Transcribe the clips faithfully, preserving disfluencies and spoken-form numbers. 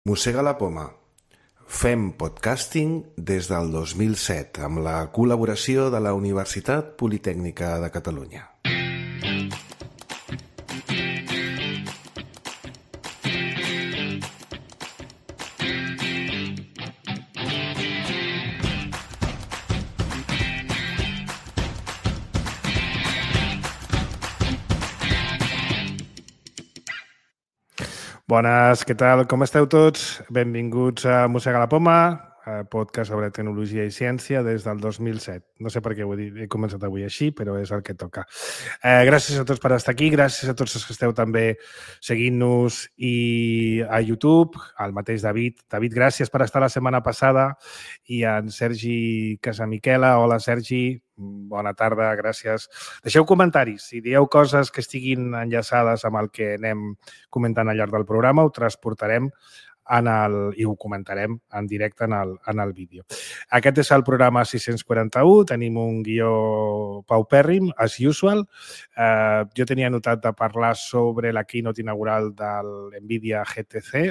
Mossega la poma. Fem podcasting des del dos mil set amb la col·laboració de la Universitat Politècnica de Catalunya. Bones, què tal? Com esteu tots? Benvinguts a Mossega la poma, podcast sobre tecnologia i ciència des del dos mil set. No sé per què ho he, dit, he començat avui així, però és el que toca. Eh, gràcies a tots per estar aquí, gràcies a tots els que esteu també seguint-nos i a YouTube, al mateix David. David, gràcies per estar la setmana passada i en Sergi Casamiquela. Hola, Sergi. Bona tarda, gràcies. Deixeu comentaris. Si dieu coses que estiguin enllaçades amb el que anem comentant al llarg del programa, ho transportarem en el, i ho comentarem en directe en el, en el vídeo. Aquest és el programa sis-cents quaranta-u. Tenim un guió paupèrrim, as usual. Eh, jo tenia anotat de parlar sobre la keynote inaugural de l'NVIDIA G T C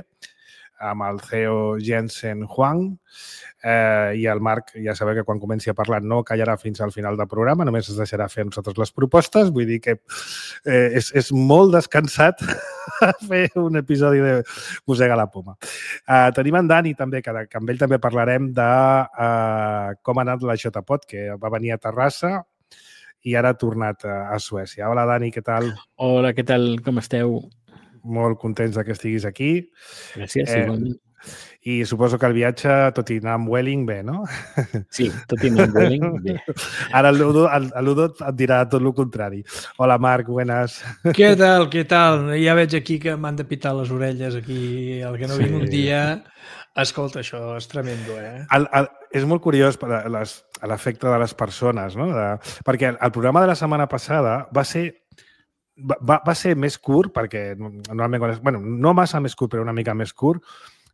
amb el C E O Jensen Huang. Eh, I el Marc, ja sabeu que quan comenci a parlar no callarà fins al final del programa, només es deixarà fer a nosaltres les propostes. Vull dir que eh, és, és molt descansat fer un episodi de Mossega la poma. Eh, tenim en Dani també, que, que amb ell també parlarem de eh, com ha anat la JPod, que va venir a Terrassa i ara ha tornat a, a Suècia. Hola, Dani, què tal? Hola, què tal? Com esteu? Molt contents que estiguis aquí. Gràcies, eh, igualment. I suposo que el viatge, tot i anar amb Welling, bé, no? Sí, tot i anar amb Welling, bé. Ara el Ludo, el, el Ludo et dirà tot el contrari. Hola, Marc, buenas. Què tal, què tal? Ja veig aquí que m'han de pitar les orelles aquí. El que no sí. vinc un dia... Escolta, això és tremendo, eh? El, el, és molt curiós per a les, a l'efecte de les persones, no? De, perquè el programa de la setmana passada va ser va, va ser més curt, perquè normalment... Bueno, no massa més curt, però una mica més curt.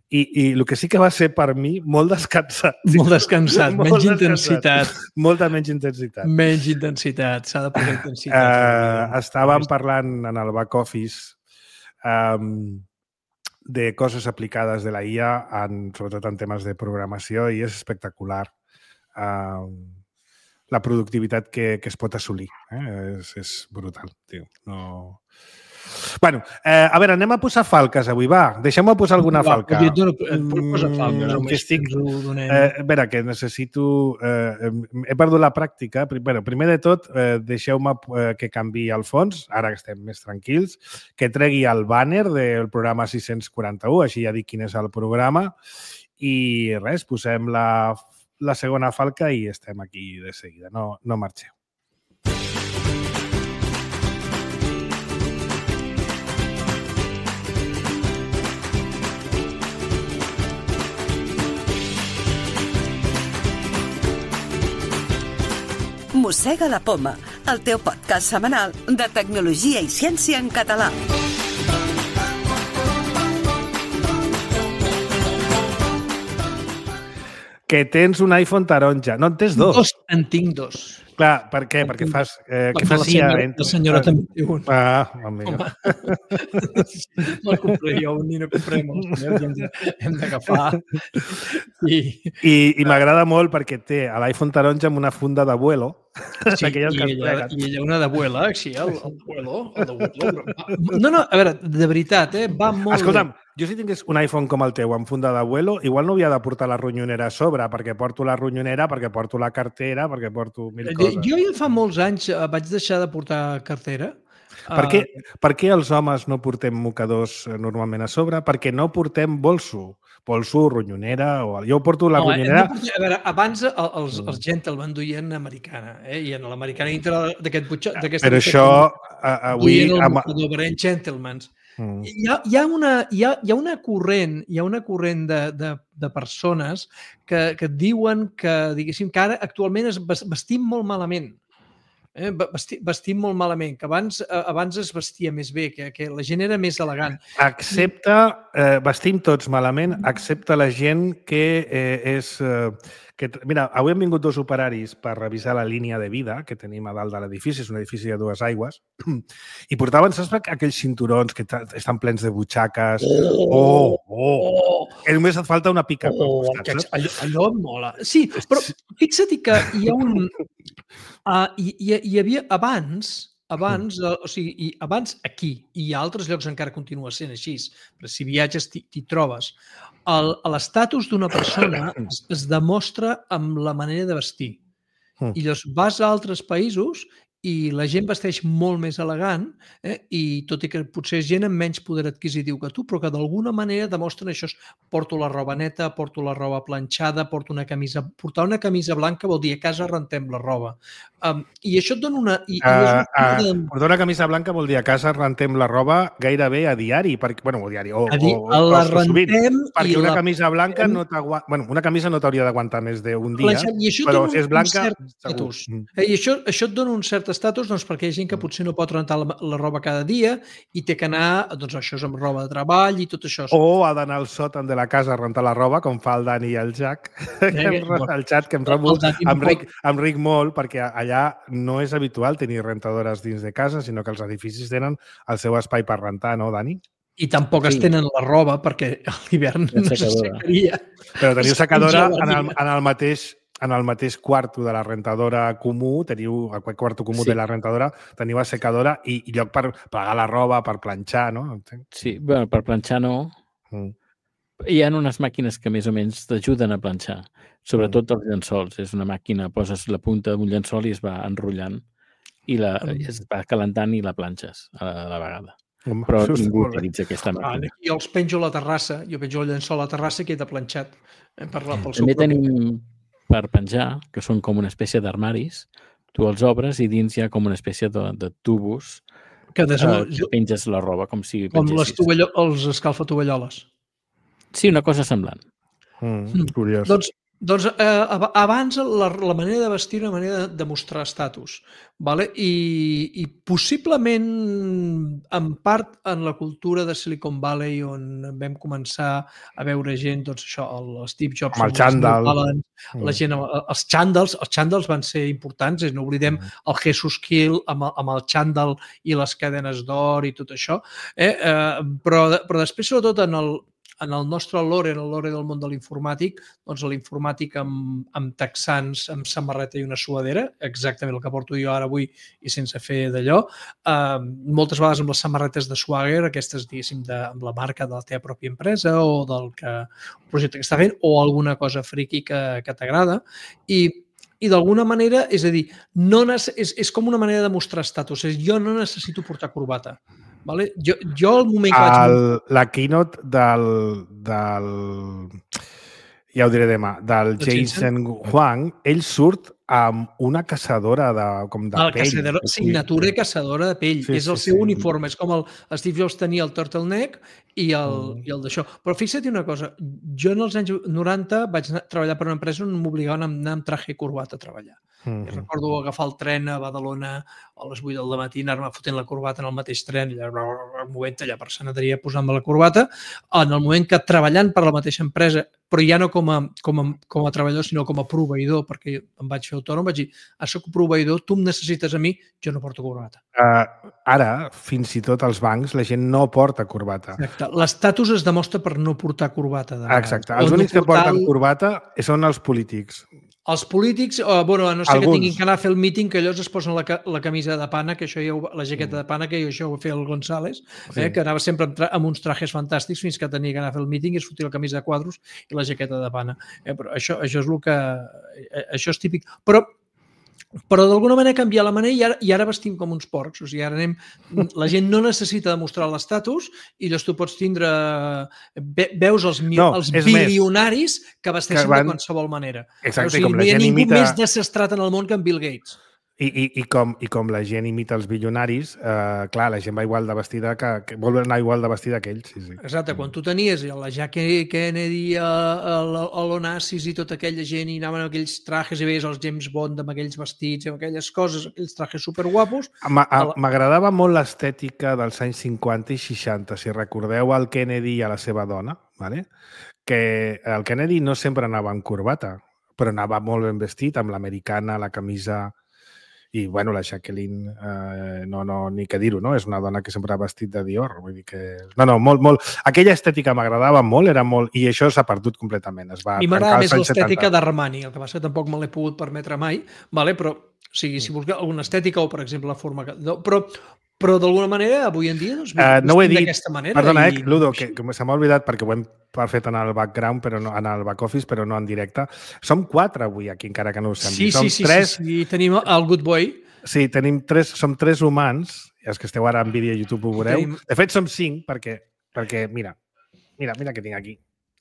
I, I el que sí que va ser per mi molt descansat. Molt descansat, molt menys descansat. intensitat. Molta menys intensitat. Menys intensitat, s'ha de posar intensitat. Uh, estàvem parlant en el back office um, de coses aplicades de la I A, en, sobretot en temes de programació, i és espectacular uh, la productivitat que, que es pot assolir. Eh? És, és brutal, tio. No... Bueno, eh, a veure, anem a posar falques avui, va. Deixem-me posar alguna va, falca. Jo no, posa falques, mm, que estic, eh, a veure, que necessito... Eh, he perdut la pràctica. Bueno, primer de tot, eh, deixeu-me eh, que canviï el fons, ara que estem més tranquils, que tregui el banner del programa sis-cents quaranta-u, així ja dic quin és el programa, i res, posem la, la segona falca i estem aquí de seguida. No, no marxeu. Mossega la poma, el teu podcast setmanal de tecnologia i ciència en català. Que tens un iPhone taronja. No en tens dos? Dos, en tinc dos. Clar, per què? Perquè fas... Eh, què fas? La senyora, la senyora també té un. Ah, amigo. No el compré jo, ni no compré molts. Hem, hem d'agafar. I, I, i m'agrada molt perquè té l'iPhone taronja amb una funda d'abuelo. Sí, i ella, i ella una d'abuela, sí, el d'abuelo. No, no, a veure, de veritat, eh, va molt Escolta'm, bé. Jo si tingués un iPhone com el teu amb funda d'abuelo, igual no havia de portar la ronyonera a sobre, perquè porto la ronyonera, perquè porto la cartera, perquè porto mil coses. Jo ja fa molts anys vaig deixar de portar cartera. Per què, per què els homes no portem mocadors normalment a sobre? Perquè no portem bolso. Bolso, ronyonera... O... Jo porto la no, ronyonera... No, a veure, abans els, els gentlemen duien americana, eh? I en l'americana dintre d'aquest butxó... Però això avui... Duien el mocador, però eren gentlemans. Mm. Hi, ha, hi, ha una, hi, ha, hi ha una corrent, hi ha una corrent de, de, de persones que, que diuen que, diguéssim, que ara actualment es vestim molt malament. Eh? Vestim, vestim molt malament, que abans, abans es vestia més bé, que, que la gent era més elegant. Excepte, eh, vestim tots malament, excepte la gent que eh, és... Eh, que, mira, avui han vingut dos operaris per revisar la línia de vida que tenim a dalt de l'edifici, és un edifici de dues aigües, i portaven, saps, aquells cinturons que estan plens de butxaques. Oh, oh, Que només et falta una pica. Oh, costat, que, saps? allò, allò em mola. Sí, però fixa't que hi ha un... Uh, hi, hi, hi havia abans, abans, uh, o sigui, i abans aquí, i a altres llocs encara continua sent així, però si viatges t'hi trobes, l'estatus d'una persona es, es demostra amb la manera de vestir. Mm. I llavors vas a altres països i la gent vesteix molt més elegant, eh? I tot i que potser és gent amb menys poder adquisitiu que tu, però que d'alguna manera demostren això. Porto la roba neta, porto la roba planxada, porto una camisa... Portar una camisa blanca vol dir a casa rentem la roba. Um, I això et dona una... I, Uh, i és una... uh, portar una camisa blanca vol dir a casa rentem la roba gairebé a diari, perquè, bueno, a diari, o, a dir, o, o, la o sovint, rentem perquè i una la... camisa blanca no t'aguanta... Bueno, una camisa no t'hauria d'aguantar més d'un dia, I això però dona si és blanca, un cert segur. estatus. Eh, I això, això et dona un cert estatus doncs, perquè hi ha gent que potser no pot rentar la, la roba cada dia i té que anar, doncs això és amb roba de treball i tot això. O ha d'anar al sòtan de la casa a rentar la roba, com fa el Dani i el Jack, eh, el xat, que em trobo amb Ric, amb Ric molt, perquè allà no és habitual tenir rentadores dins de casa, sinó que els edificis tenen el seu espai per rentar, no, Dani? I tampoc sí. es tenen la roba, perquè a l'hivern no s'assecaria. Però teniu secadora en el, en el mateix en el mateix quarto de la rentadora comú, teniu el quarto comú sí. de la rentadora, teniu la secadora i, i lloc per plegar la roba, per planxar, no? Sí, bueno, per planxar no. Mm. Hi ha unes màquines que més o menys t'ajuden a planxar, sobretot mm. els llençols. És una màquina, poses la punta d'un llençol i es va enrotllant i la, mm. es va calentant i la planxes a la, a la vegada. Mm. Però ningú utilitza aquesta màquina. Ah, jo els penjo a la terrassa, jo penjo el llençol a la terrassa i queda planxat. Eh, per la, pel També tenim per penjar, que són com una espècie d'armaris, tu els obres i dins hi ha com una espècie de, de tubos que, des... eh, que penges la roba, com si com les tovallo... els escalfatovalloles. Sí, una cosa semblant. Mm, curiós. Doncs, doncs eh, abans la, la manera de vestir era una manera de demostrar estatus, vale? I, i possiblement en part en la cultura de Silicon Valley on vam començar a veure gent, doncs això, el Steve Jobs, el xandall, la gent, els xandalls, els xandalls van ser importants, no oblidem el Jesus Kill amb, amb el xandall i les cadenes d'or i tot això, eh? Eh, però, però després sobretot en el en el nostre lore, en el lore del món de l'informàtic, doncs l'informàtic amb, amb texans, amb samarreta i una suadera, exactament el que porto jo ara avui i sense fer d'allò, eh, moltes vegades amb les samarretes de Swagger, aquestes, diguéssim, de, amb la marca de la teva pròpia empresa o del que, el projecte que està fent, o alguna cosa friqui que, que t'agrada, i i d'alguna manera, és a dir, no és, és com una manera de mostrar estatus, és jo no necessito portar corbata. Vale? Jo, jo al moment que vaig... El, la keynote del, del... ja ho diré demà, del Jensen Huang, ell surt amb una caçadora de, com de el pell. Caçadora, signatura caçadora de pell. Sí, és el sí, seu sí. uniforme. És com el Steve Jobs tenia el turtleneck i el, mm. i el d'això. Però fixa't una cosa, jo en els anys noranta vaig anar, treballar per una empresa on m'obligaven a anar amb traje i corbata a treballar. Mm-hmm. I recordo agafar el tren a Badalona a les vuit del matí, anar-me fotent la corbata en el mateix tren, i allà, movent allà per sanateria posant-me la corbata, en el moment que treballant per la mateixa empresa, però ja no com a, com a, com a treballador, sinó com a proveïdor, perquè em vaig fer autònom, vaig dir, ah, soc proveïdor, tu em necessites a mi, jo no porto corbata. Uh, ara, fins i tot als bancs, la gent no porta corbata. Exacte. L'estatus es demostra per no portar corbata. De Exacte. Els únics no portar... que porten corbata són els polítics. Els polítics, eh, bueno, a no ser Alguns. que tinguin que anar a fer el míting, que ells es posen la, la camisa de pana, que això ja ho, la jaqueta de pana, que això ho feia el González, eh, sí. que anava sempre amb, amb uns trajes fantàstics fins que tenia que anar a fer el míting i es fotia la camisa de quadros i la jaqueta de pana. Eh, però això, això és el que... Eh, això és típic. Però però d'alguna manera canviar la manera i ara, i ara vestim com uns porcs. O sigui, ara anem... La gent no necessita demostrar l'estatus i llavors tu pots tindre... Ve, veus els, no, els bilionaris més, que vesteixen que van... de qualsevol manera. Exacte, o sigui, com no la hi ha gent ningú imita... més desestrat en el món que en Bill Gates. I, i, i, com, I com la gent imita els bilionaris, eh, clar, la gent va igual de vestida que, que vol anar igual de vestida que ells. Sí, sí. Exacte, quan tu tenies la Jackie Kennedy, l'Onassis i tota aquella gent i anaven amb aquells trajes i veies els James Bond amb aquells vestits, amb aquelles coses, aquells trajes superguapos. M'agradava molt l'estètica dels anys cinquanta i seixanta, si recordeu el Kennedy i a la seva dona, ¿vale? Que el Kennedy no sempre anava amb corbata, però anava molt ben vestit, amb l'americana, la camisa... I, bueno, la Jacqueline, eh, no, no, ni què dir-ho, no? És una dona que sempre ha vestit de Dior. Vull dir que... No, no, molt, molt... Aquella estètica m'agradava molt, era molt... I això s'ha perdut completament. Es va a mi m'agrada més l'estètica d'Armani, el que passa que tampoc me l'he pogut permetre mai, vale? Però, o sigui, si busca alguna estètica o, per exemple, la forma... Que... Però, però d'alguna manera, avui en dia, doncs, uh, no ho he dit. d'aquesta manera. Perdona, i... eh, Ludo, que, que se m'ha oblidat perquè ho hem fet en el background, però no, en el back office, però no en directe. Som quatre avui aquí, encara que no ho sembli. Sí, sí, sí, tres... sí, sí, tenim el Good Boy. Sí, tenim tres, som tres humans, i els que esteu ara en vídeo a YouTube ho veureu. Tenim... De fet, som cinc, perquè, perquè mira, mira, mira què tinc aquí.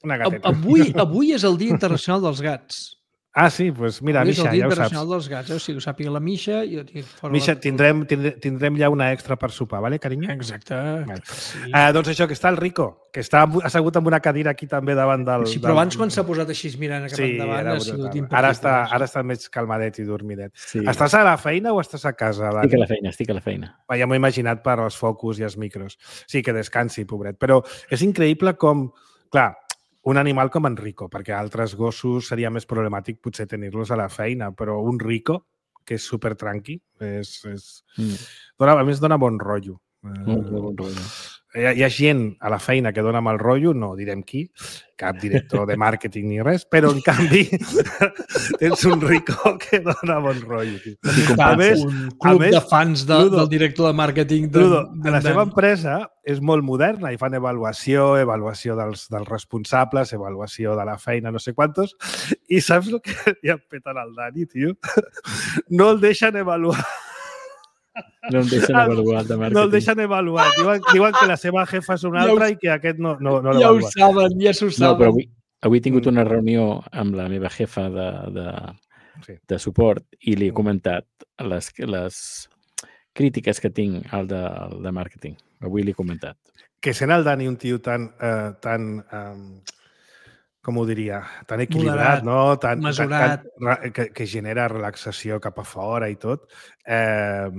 Una gateta. Avui, avui és el Dia Internacional dels Gats. Ah, sí? Doncs pues mira, Misha, ja ho saps. És el Dia Internacional dels Gats, eh? O sigui, ho sàpiga la Misha. I jo fora Misha, la... tindrem, tindrem, tindrem ja una extra per sopar, vale, carinyo? Exacte. Vale. Sí. Uh, doncs això, que està el Rico, que està assegut amb una cadira aquí també davant del... Sí, però abans quan s'ha posat així mirant cap sí, endavant ha sigut impossible. Ara està, ara està més calmadet i dormidet. Sí. Estàs a la feina o estàs a casa? Dani? Estic a la feina, estic a la feina. Ja m'ho he imaginat per als focus i els micros. Sí, que descansi, pobret. Però és increïble com... Clar, un animal com en Rico, perquè altres gossos seria més problemàtic potser tenir-los a la feina, però un Rico, que és super tranqui, és, és... Mm. Dona, a més dona bon rotllo. Molt bon rotllo. Hi ha, hi ha gent a la feina que dona mal rotllo, no direm qui, cap director de màrqueting ni res, però en canvi tens un Rico que dona bon rotllo. A més, un club més, de fans de, Ludo, del director de màrqueting. De, Ludo, de, la seva empresa és molt moderna i fan avaluació, avaluació dels, dels responsables, avaluació de la feina, no sé quantos, i saps el que li han fet al Dani, tio? No el deixen avaluar. No el deixen avaluar de màrqueting. No el deixen avaluar. Diuen, diuen que la seva jefa és una altra ja i que aquest no, no, no ja l'avalua. Ja ho saben, ja s'ho saben. No, però avui, avui he tingut una reunió amb la meva jefa de, de, sí. de suport i li he comentat les, les crítiques que tinc al de, al de màrqueting. Avui li he comentat. Que sent el Dani un tio tan... Eh, tan eh, com ho diria, tan equilibrat, moderat, no? Tan, mesurat. Tan, que, que genera relaxació cap a fora i tot. Eh,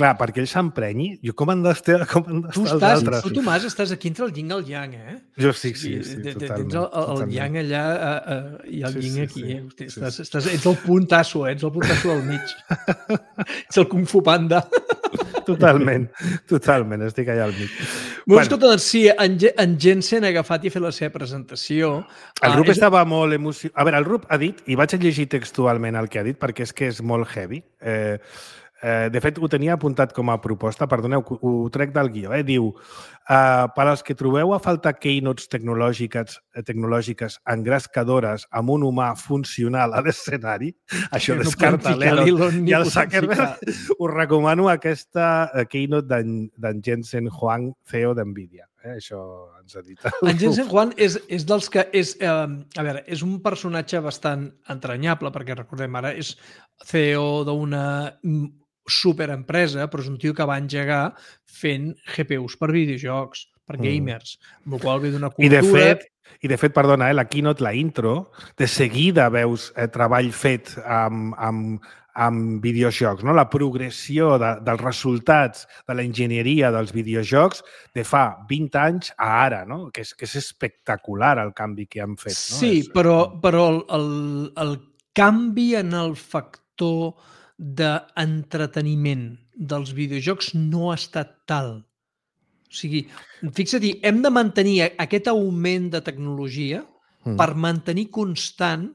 clar, perquè ell s'emprenyi, jo com han d'estar els altres? Tu, Tomàs, estàs aquí entre el yin i el yang, eh? Jo sí, sí, sí, sí totalment. Tens el, el totalment. yang allà uh, uh, i el sí, yin sí, aquí. Sí, eh? Hosti, sí, estàs, sí. estàs, ets el puntasso, eh? Ets el puntasso del mig. Ets el Kung Fu Panda. Totalment, totalment, estic allà al mig. Bueno, bueno. Escolta, doncs sí, en, en Jensen ha agafat i ha fet la seva presentació. El Rup uh, estava és... molt emocionat. A veure, el Rup ha dit, i vaig a llegir textualment el que ha dit, perquè és que és molt heavy. Eh, eh, de fet, ho tenia apuntat com a proposta, perdoneu, ho trec del guió. Eh? Diu, uh, per als que trobeu a faltar keynotes tecnològiques, tecnològiques engrescadores amb un humà funcional a l'escenari, això no descarta l'Elon i el Zuckerberg, us recomano aquesta keynote d'en Jensen Huang, C E O d'NVIDIA. Eh? Això ens ha dit. En Jensen Huang és, és dels que... És, eh, a veure, és un personatge bastant entranyable, perquè recordem ara, és C E O d'una superempresa, però és un tio que va engegar fent G P Us per videojocs, per gamers, mm. amb el qual ve d'una cultura... I de fet, i de fet perdona, eh, la keynote, la intro, de seguida veus eh, treball fet amb, amb, amb videojocs, no? La progressió de, dels resultats de la enginyeria dels videojocs de fa vint anys a ara, no? Que és, que és espectacular el canvi que han fet. No? Sí, és... però, però el, el, el canvi en el factor d'entreteniment dels videojocs no ha estat tal. O sigui, fixa-t'hi, hem de mantenir aquest augment de tecnologia mm. per mantenir constant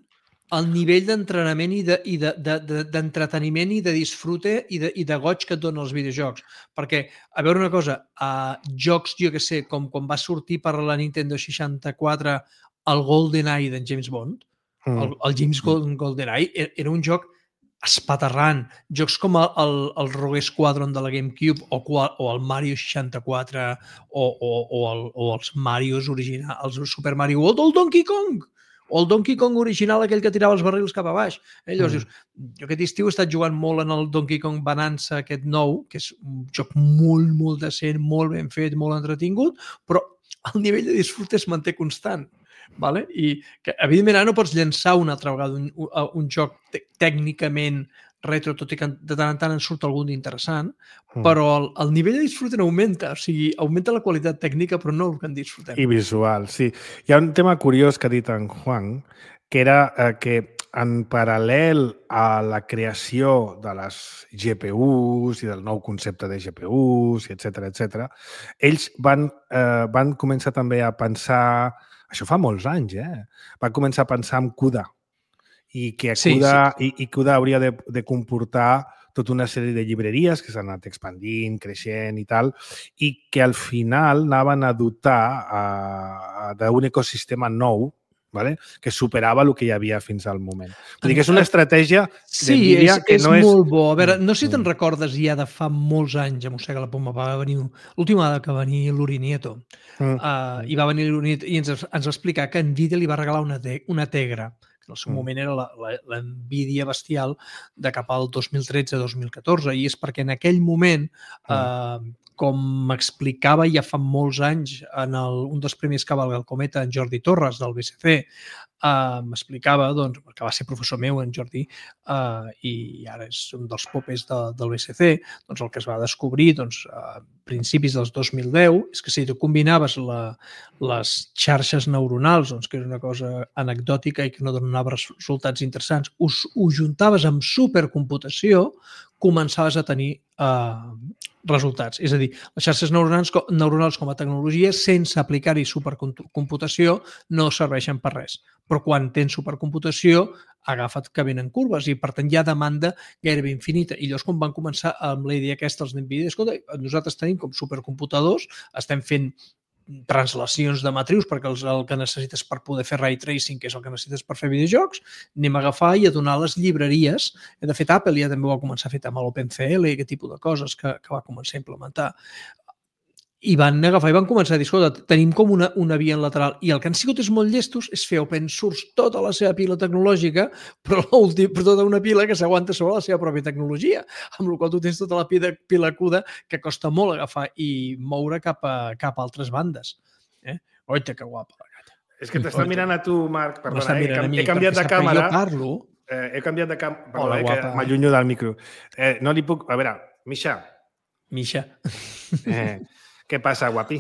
el nivell d'entrenament i d'entreteniment de, i, de, de, i de disfrute i de, i de goig que et donen els videojocs. Perquè, a veure una cosa, a jocs, jo que sé, com quan va sortir per la Nintendo seixanta-quatre el GoldenEye d'en James Bond, mm. el, el James GoldenEye era un joc espaterrant. Jocs com el, el, el Rogue Squadron de la GameCube o, o el Mario seixanta-quatre o, o, o, el, o els Marios originals, el Super Mario World o el Donkey Kong. O el Donkey Kong original, aquell que tirava els barrils cap a baix. Eh? Llavors mm. dius, jo aquest estiu he estat jugant molt en el Donkey Kong Bonanza, aquest nou, que és un joc molt, molt decent, molt ben fet, molt entretingut, però el nivell de disfrute es manté constant. Vale? I que, evidentment, ara no pots llançar una altra vegada un, un, un joc tècnicament retro, tot i que de tant en tant en surt algun d'interessant, mm. però el, el nivell de disfrute no augmenta, o sigui, augmenta la qualitat tècnica, però no el que en disfrutem. I visual, sí. Hi ha un tema curiós que ha dit en Juan, que era eh, que en paral·lel a la creació de les G P Us i del nou concepte de G P Us, etcètera, etcètera, ells van, eh, van començar també a pensar... Això fa molts anys, eh? Van començar a pensar en CUDA i que Sí, CUDA, sí. i, i CUDA hauria de, de comportar tota una sèrie de llibreries que s'han anat expandint, creixent i tal, i que al final anaven a dotar uh, d'un ecosistema nou, ¿vale? Que superava el que hi havia fins al moment. Vull dir que és una estratègia Sí, d'NVIDIA és, que és no és... molt bo. A veure, no sé si te'n Mm. recordes ja de fa molts anys, a Mossega la Poma, va venir l'última vegada que va venir l'Uri Nieto, Mm. uh, i va venir l'Uri Nieto i ens, ens va explicar que NVIDIA li va regalar una, te una Tegra, que en el seu Mm. moment era la, la, la NVIDIA bestial de cap al dos mil tretze dos mil catorze, i és perquè en aquell moment, uh, com m'explicava ja fa molts anys en el, un dels primers Cavalga el Cometa, en Jordi Torres, del B C C, uh, m'explicava, doncs, que va ser professor meu, en Jordi, uh, i ara és un dels popes de, del B C C, doncs el que es va descobrir doncs, a principis dels dos mil deu és que si tu combinaves la, les xarxes neuronals, doncs, que és una cosa anecdòtica i que no donava resultats interessants, us, ho juntaves amb supercomputació, començaves a tenir eh, resultats. És a dir, les xarxes neuronals, neuronals com a tecnologia, sense aplicar-hi supercomputació, no serveixen per res. Però quan tens supercomputació, agafa't que venen curves i, per tant, hi ha demanda gairebé infinita. I llavors, quan van començar amb la idea aquesta, els NVIDIA, escolta, nosaltres tenim com supercomputadors, estem fent translacions de matrius perquè el, el que necessites per poder fer ray tracing, que és el que necessites per fer videojocs, anem a agafar i a donar les llibreries. De fet, Apple ja també ho va començar a fer amb l'OpenCL i aquest tipus de coses que, que va començar a implementar. I van agafar i van començar a dir, escolta, tenim com una, una via en lateral. I el que han sigut és molt llestos és fer open source tota la seva pila tecnològica, però, però tota una pila que s'aguanta sobre la seva pròpia tecnologia, amb la qual tu tens tota la pila, pila CUDA que costa molt agafar i moure cap a, cap a altres bandes. Eh? Oita, que guapa la gata. És que t'està mirant a tu, Marc. Perdona, eh? He, mi, he canviat de càmera. Jo parlo. Eh, he canviat de càmera. Perdona, Hola, eh, guapa. que m'allunyo del micro. Eh, no li puc... A veure, Misha. Misha. Eh, què passa, guapi?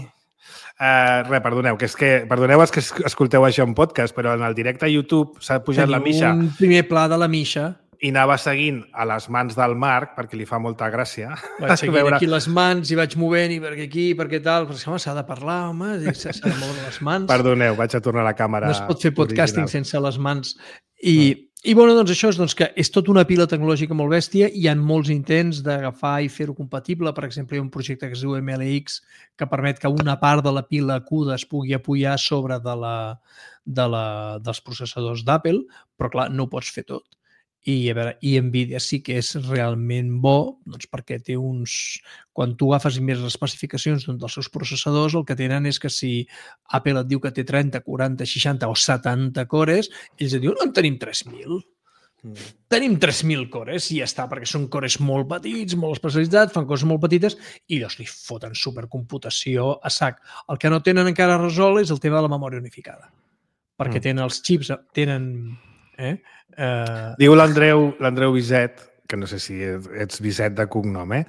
Uh, res, perdoneu, que és que, perdoneu els que escolteu això en podcast, però en el directe a YouTube s'ha pujat Teniu la Misha un primer pla de la Misha. i anava seguint a les mans del Marc perquè li fa molta gràcia. Vaig seguint veure... aquí les mans i vaig movent i perquè aquí, perquè tal, però home, s'ha de parlar, home, s'ha de moure les mans. Perdoneu, vaig a tornar a la càmera. No es pot fer podcasting original. sense les mans. I, mm. i bueno, doncs això és doncs, que és tota una pila tecnològica molt bèstia. Hi ha molts intents d'agafar i fer-ho compatible. Per exemple, hi ha un projecte que es diu M L X que permet que una part de la pila CUDA es pugui apoyar sobre de la, de la, dels processadors d'Apple, però clar, no ho pots fer tot. I, a veure, i NVIDIA sí que és realment bo doncs perquè té uns... Quan tu agafes més les especificacions d'un dels seus processadors, el que tenen és que si Apple et diu que té trenta, quaranta, seixanta o setanta cores, ells et diuen, no, en tenim tres mil. Mm. Tenim tres mil cores i ja està, perquè són cores molt petits, molt especialitzats, fan coses molt petites i llavors li foten supercomputació a sac. El que no tenen encara resolt és el tema de la memòria unificada. Perquè mm. tenen els xips, tenen... Eh? Uh... Diu l'Andreu l'Andreu Viset, que no sé si ets Viset de cognom, eh?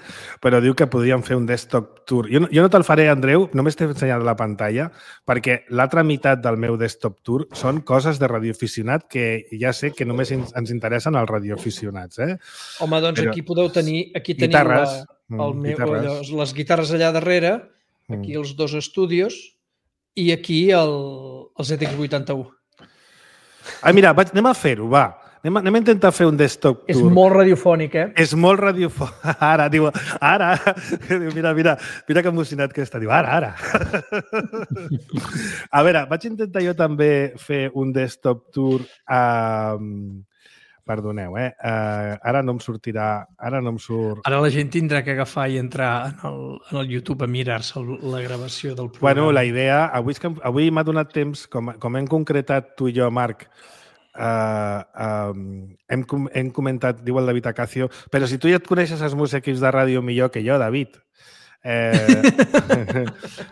Però diu que podríem fer un desktop tour. Jo no, jo no te'l faré, Andreu, només t'he ensenyat la pantalla, perquè l'altra meitat del meu desktop tour són coses de radioaficionat que ja sé que només ens interessen els radioaficionats, eh? Home, doncs Però... aquí podeu tenir... Aquí teniu guitarres, la, el meu, guitarres. Les, les guitarres allà darrere, aquí mm. els dos estúdios i aquí el, el Z X vuitanta-u. Ah, mira, vaig, anem a fer-ho, va. Anem a, anem a intentar fer un desktop tour. És molt radiofònic, eh? És molt radiofònic. Ara, diu, ara. Mira, mira, mira que emocionat que està. Diu, ara, ara. A veure, vaig intentar jo també fer un desktop tour a... Perdoneu, eh? Uh, ara no em sortirà... Ara no em surt... Ara la gent tindrà que agafar i entrar en el, en el YouTube a mirar-se la gravació del programa. Bueno, la idea... Avui, avui m'ha donat temps, com, com hem concretat tu i jo, Marc, uh, um, hem, hem comentat, diu el David Acacio, però si tu ja et coneixes els meus equips de ràdio millor que jo, David, Eh,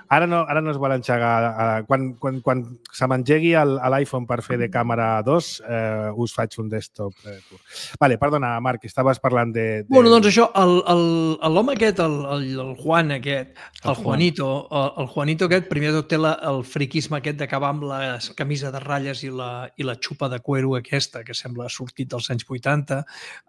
ara, no, ara no es vol enxegar. Quan, quan, quan se m'engegui l'iPhone per fer de càmera dos, eh, us faig un desktop eh, tour. Vale, perdona, Marc, estaves parlant de... de... Bueno, doncs això, l'home aquest, el, el, el Juan aquest, el, el Juanito, el, el Juanito aquest, primer de tot té la, el friquisme aquest d'acabar amb la camisa de ratlles i la, i la xupa de cuero aquesta, que sembla sortit dels anys vuitanta,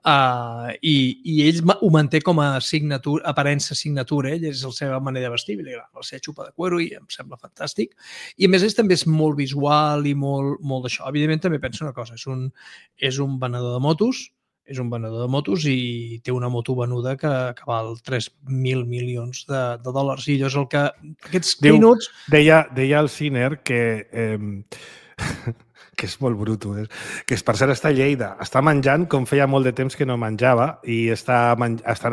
uh, i, i ell ho manté com a signatura, aparença signatura, ell és la seva manera de vestir, la seva xupa de cuero, i em sembla fantàstic. I a més ell també és molt visual i molt, molt d'això. Evidentment també penso una cosa, és un, és un venedor de motos, és un venedor de motos i té una moto venuda que, que val tres mil milions de, de dòlars. I allò és el que... Aquests Diu, minuts... Deia, deia el Ciner que... Eh, que és molt bruto, eh? Que és, per cert, està a Lleida. Està menjant com feia molt de temps que no menjava i està, està,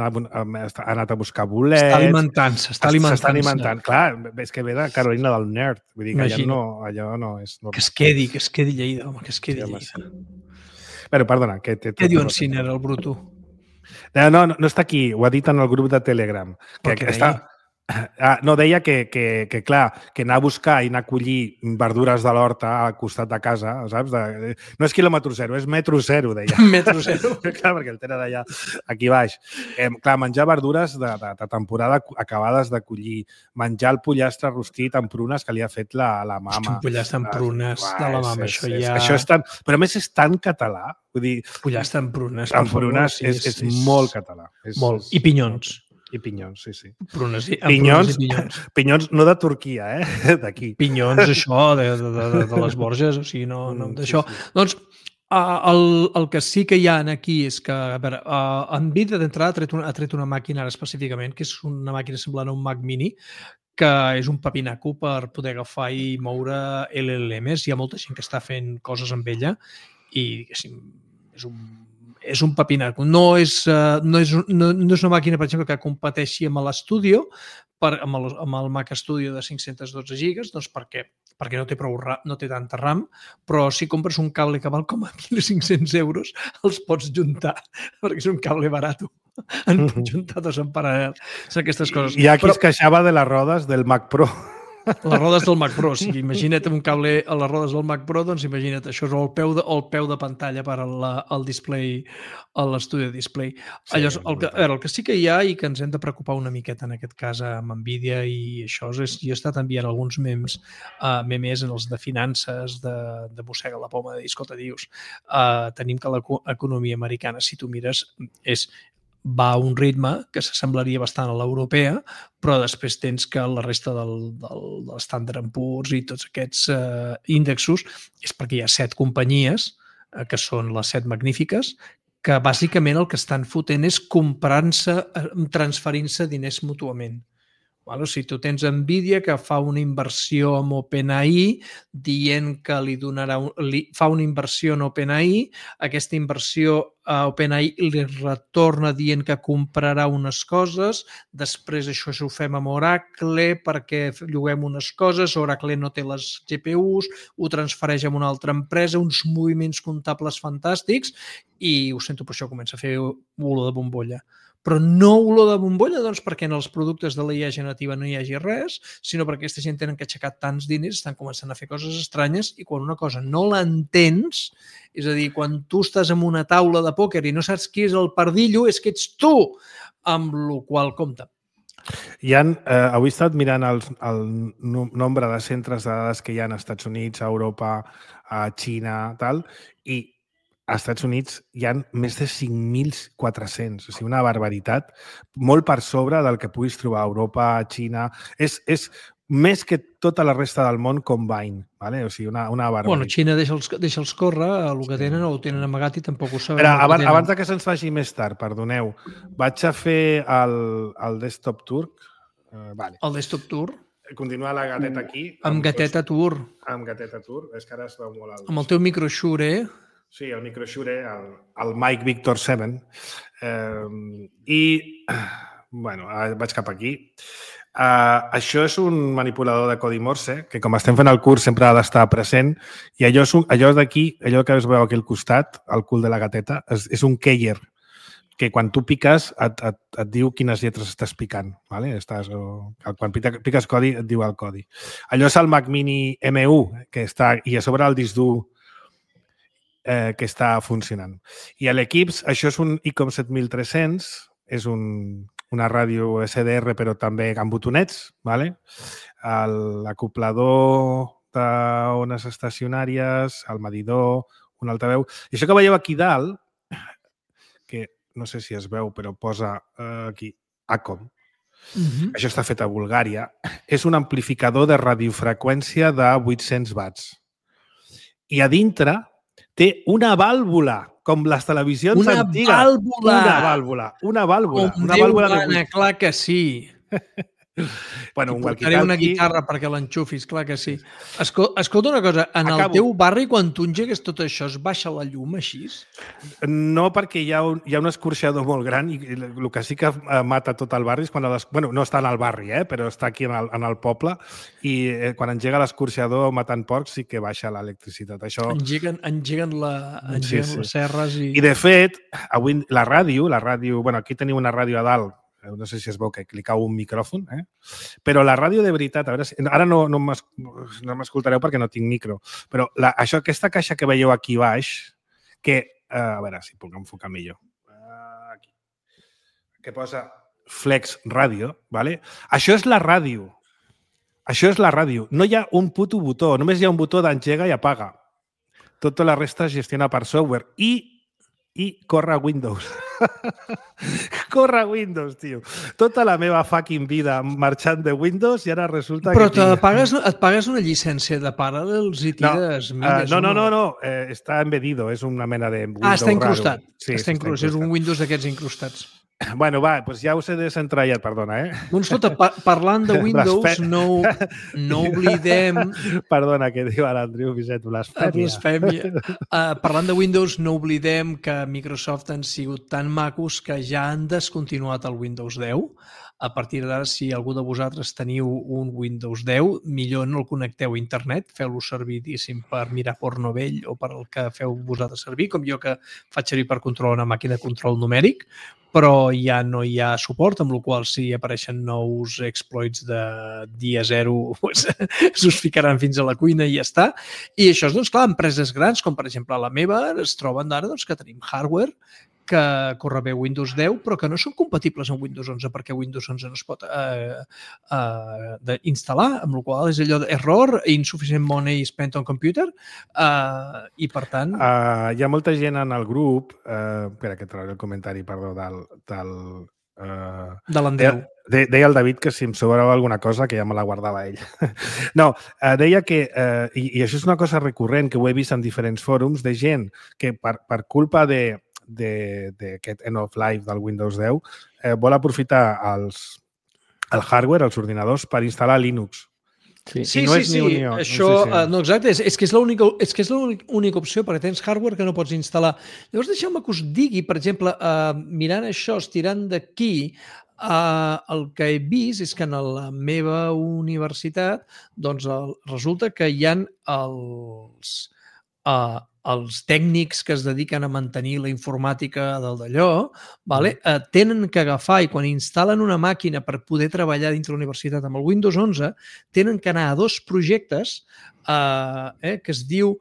està ha anat a buscar bolets. Està alimentant-se, està alimentant-se. S'està alimentant. Clar, és que ve de Carolina del Nord. Vull dir que allà no, allò no és normal. Que es quedi, que es quedi Lleida, home, que es quedi sí, Lleida. Però, perdona, que... Té, Què diu en Ciner, el bruto? No, no, no està aquí, ho ha dit en el grup de Telegram. Que, que està... Ah, no, deia que, que, que, clar, que anar a buscar i anar a collir verdures de l'horta al costat de casa, saps? De, no és quilòmetre zero, és metro zero, deia. Metro zero. Clar, perquè el tenen allà, aquí baix. Eh, clar, menjar verdures de, de, de temporada acabades de collir, menjar el pollastre rostit amb prunes que li ha fet la, la mama. Hosti, un pollastre amb prunes ah, de la mama, és, això és, ja... Això és tan... Però a més és tan català. Vull dir... Pollastre amb prunes. Amb prunes favor, és, és, és molt català. És, molt. I pinyons. I pinyons, sí, sí. Prunes i, pinyons, prunes i pinyons. Pinyons no de Turquia, eh? D'aquí. Pinyons, això, de, de, de, de les Borges, o sigui, no, no d'això. Sí, sí. Doncs el, el que sí que hi ha aquí és que, a veure, uh, Nvidia d'entrada ha, tret una, ha tret una màquina ara específicament, que és una màquina semblant a un Mac Mini, que és un papinaco per poder agafar i moure L L Ms. Hi ha molta gent que està fent coses amb ella i, diguéssim, és un és un papinaco. No és, uh, no, és, no, no és una màquina, per exemple, que competeixi amb l'Studio, per, amb, el, amb el Mac Studio de cinc-cents dotze gigas, doncs perquè, perquè no té prou no té tanta RAM, però si compres un cable que val com a mil cinc-cents euros, els pots juntar, perquè és un cable barat. En pots juntar dos en paral·lel. Són aquestes coses. Hi ha qui però... es queixava de les rodes del Mac Pro. Les rodes del Mac Pro, o sigui, imagina't un cable a les rodes del Mac Pro, doncs imagina't, això és el peu de, el peu de pantalla per al, al display, a l'estudi display. Sí, Allò, el, que, a veure, el que sí que hi ha i que ens hem de preocupar una miqueta en aquest cas amb Nvidia i això és, jo he estat enviant alguns memes, uh, memes en els de finances, de, de mossega la poma, de dir, escolta, dius, uh, tenim que l'economia americana, si tu mires, és va a un ritme que s'assemblaria bastant a l'europea, però després tens que la resta del, del, del Standard and Poor's i tots aquests eh, índexos és perquè hi ha set companyies, eh, que són les set magnífiques, que bàsicament el que estan fotent és comprant-se, transferint-se diners mútuament. Vale? O sigui, tu tens Nvidia que fa una inversió amb OpenAI dient que li donarà un, li, fa una inversió en OpenAI, aquesta inversió a OpenAI li retorna dient que comprarà unes coses, després això ho fem amb Oracle perquè lloguem unes coses, Oracle no té les G P Us, ho transfereix a una altra empresa, uns moviments comptables fantàstics i ho sento, per això comença a fer olor de bombolla. Però no olor de bombolla, doncs, perquè en els productes de l'I A generativa no hi hagi res, sinó perquè aquesta gent tenen que aixecar tants diners, estan començant a fer coses estranyes i quan una cosa no l'entens, és a dir, quan tu estàs en una taula de pòquer i no saps qui és el pardillo, és que ets tu, amb la qual compta. Hi ha, eh, avui he estat mirant el, el nombre de centres de dades que hi ha als Estats Units, a Europa, a Xina, tal, i als Estats Units hi ha més de cinc mil quatre-cents, o sigui, una barbaritat, molt per sobre del que puguis trobar a Europa, a Xina. És, és més que tota la resta del món combine, ¿vale? O sigui, una, una barbaritat. Bueno, Xina deixa'ls deixa córrer, el que tenen o ho tenen amagat i tampoc ho saben. Però, abans, abans que se'ns faci més tard, perdoneu, vaig a fer el, el desktop tour. Uh, vale. El desktop tour? Continua la gateta aquí. Amb, amb gateta tour. Amb gateta tour. És que ara es veu molt alt. Amb el teu microshure, eh? Sí, el microshure, el, el Mike Victor set. Eh, I, bueno, vaig cap aquí. Uh, això és un manipulador de codi Morse, que com estem fent el curs sempre ha d'estar present, i allò, és un, allò d'aquí, allò que es veu aquí al costat, al cul de la gateta, és, és un keyer. que quan tu piques et, et, et diu quines lletres estàs picant. Vale? Estàs, o, quan piques codi et diu el codi. Allò és el Mac Mini M u, que està, i a sobre el disc dur eh, que està funcionant. I a l'Equips, això és un I C O M set mil tres-cents, és un, una ràdio S D R, però també amb botonets, vale? L'acoplador d'ones estacionàries, el medidor, un altaveu. I això que veieu aquí dalt, que no sé si es veu, però posa eh, aquí ACOM. Uh-huh. Això està fet a Bulgària. És un amplificador de radiofreqüència de vuit-cents watts. I a dintre té una vàlvula, com les televisions una antigues. Vàlvula. Una vàlvula! Una vàlvula! Com una Déu vàlvula gana, de... clar que sí. Bueno, un portaré una guitarra perquè l'enxufis, clar que sí. Escol escolta una cosa, en Acabo. El teu barri, quan tu engegues tot això, es baixa la llum així? No, perquè hi ha un, hi ha un escorxador molt gran i el que sí que mata tot el barri és quan... Les, bueno, no està en el barri, eh, però està aquí en el, en el poble i eh, quan engega l'escorxador matant porcs sí que baixa l'electricitat. Això... Engeguen, engeguen, la, engeguen sí, sí. les serres i... I de fet, avui la ràdio, la ràdio... Bueno, aquí teniu una ràdio a dalt, no sé si es veu que clicau un micròfon, eh? Però la ràdio de veritat, a veure si... Ara no, no m'escoltareu perquè no tinc micro, però la, això, aquesta caixa que veieu aquí baix, que, eh, a veure si puc enfocar millor, aquí, que posa Flex Ràdio, ¿vale? Això és la ràdio. Això és la ràdio. No hi ha un puto botó, només hi ha un botó d'engega i apaga. Tota la resta es gestiona per software. I i corre Windows. Corre Windows, tio. Tota la meva fucking vida marxant de Windows i ara resulta Però que... Però pagues, et pagues una llicència de Parallels i tires... No, uh, no, no, no, no. Eh, està embedido, és una mena de Windows Ah, està incrustat. Sí, està incrustat. És un Windows d'aquests incrustats. Bueno, va, doncs ja us he desentratllat, perdona, eh? Doncs escolta, par parlant de Windows, no, no oblidem... Perdona, que diu ara l'Andreu Vicent, blasfèmia. Blasfèmia. Uh, parlant de Windows, no oblidem que Microsoft han sigut tan macos que ja han descontinuat el Windows deu. A partir d'ara, si algú de vosaltres teniu un Windows deu, millor no el connecteu a internet, feu-lo servir, diguéssim, per mirar porno vell o per el que feu vosaltres servir, com jo que faig servir per controlar una màquina de control numèric, però ja no hi ha suport, amb la qual si apareixen nous exploits de dia zero, pues, s'us ficaran fins a la cuina i ja està. I això és, doncs, clar, empreses grans, com per exemple la meva, es troben d'ara doncs, que tenim hardware que corre bé Windows deu, però que no són compatibles amb Windows onze, perquè Windows onze no es pot eh, eh, instal·lar, amb la qual és allò d'error, insufficient money spent on computer, eh, i per tant... Uh, hi ha molta gent en el grup, uh, espera que trauré el comentari, perdó, del... del uh, de l'Andreu. De, deia el David que si em sobrava alguna cosa que ja me la guardava ell. No, uh, deia que, uh, i, i això és una cosa recurrent que ho he vist en diferents fòrums, de gent que per, per culpa de d'aquest end of life del Windows deu eh, vol aprofitar els, el hardware, els ordinadors, per instal·lar Linux. Sí, sí, no sí, sí. Unió. Això, no, sé si... uh, no exacte, és, és que és l'única és que és l'única opció, perquè tens hardware que no pots instal·lar. Llavors, deixeu-me que us digui, per exemple, uh, mirant això, estirant d'aquí, uh, el que he vist és que en la meva universitat doncs, el, resulta que hi ha els... Uh, els tècnics que es dediquen a mantenir la informàtica del d'allò, vale? eh, tenen que agafar i quan instal·len una màquina per poder treballar dintre de la universitat amb el Windows onze, tenen que anar a dos projectes eh, eh, que es diu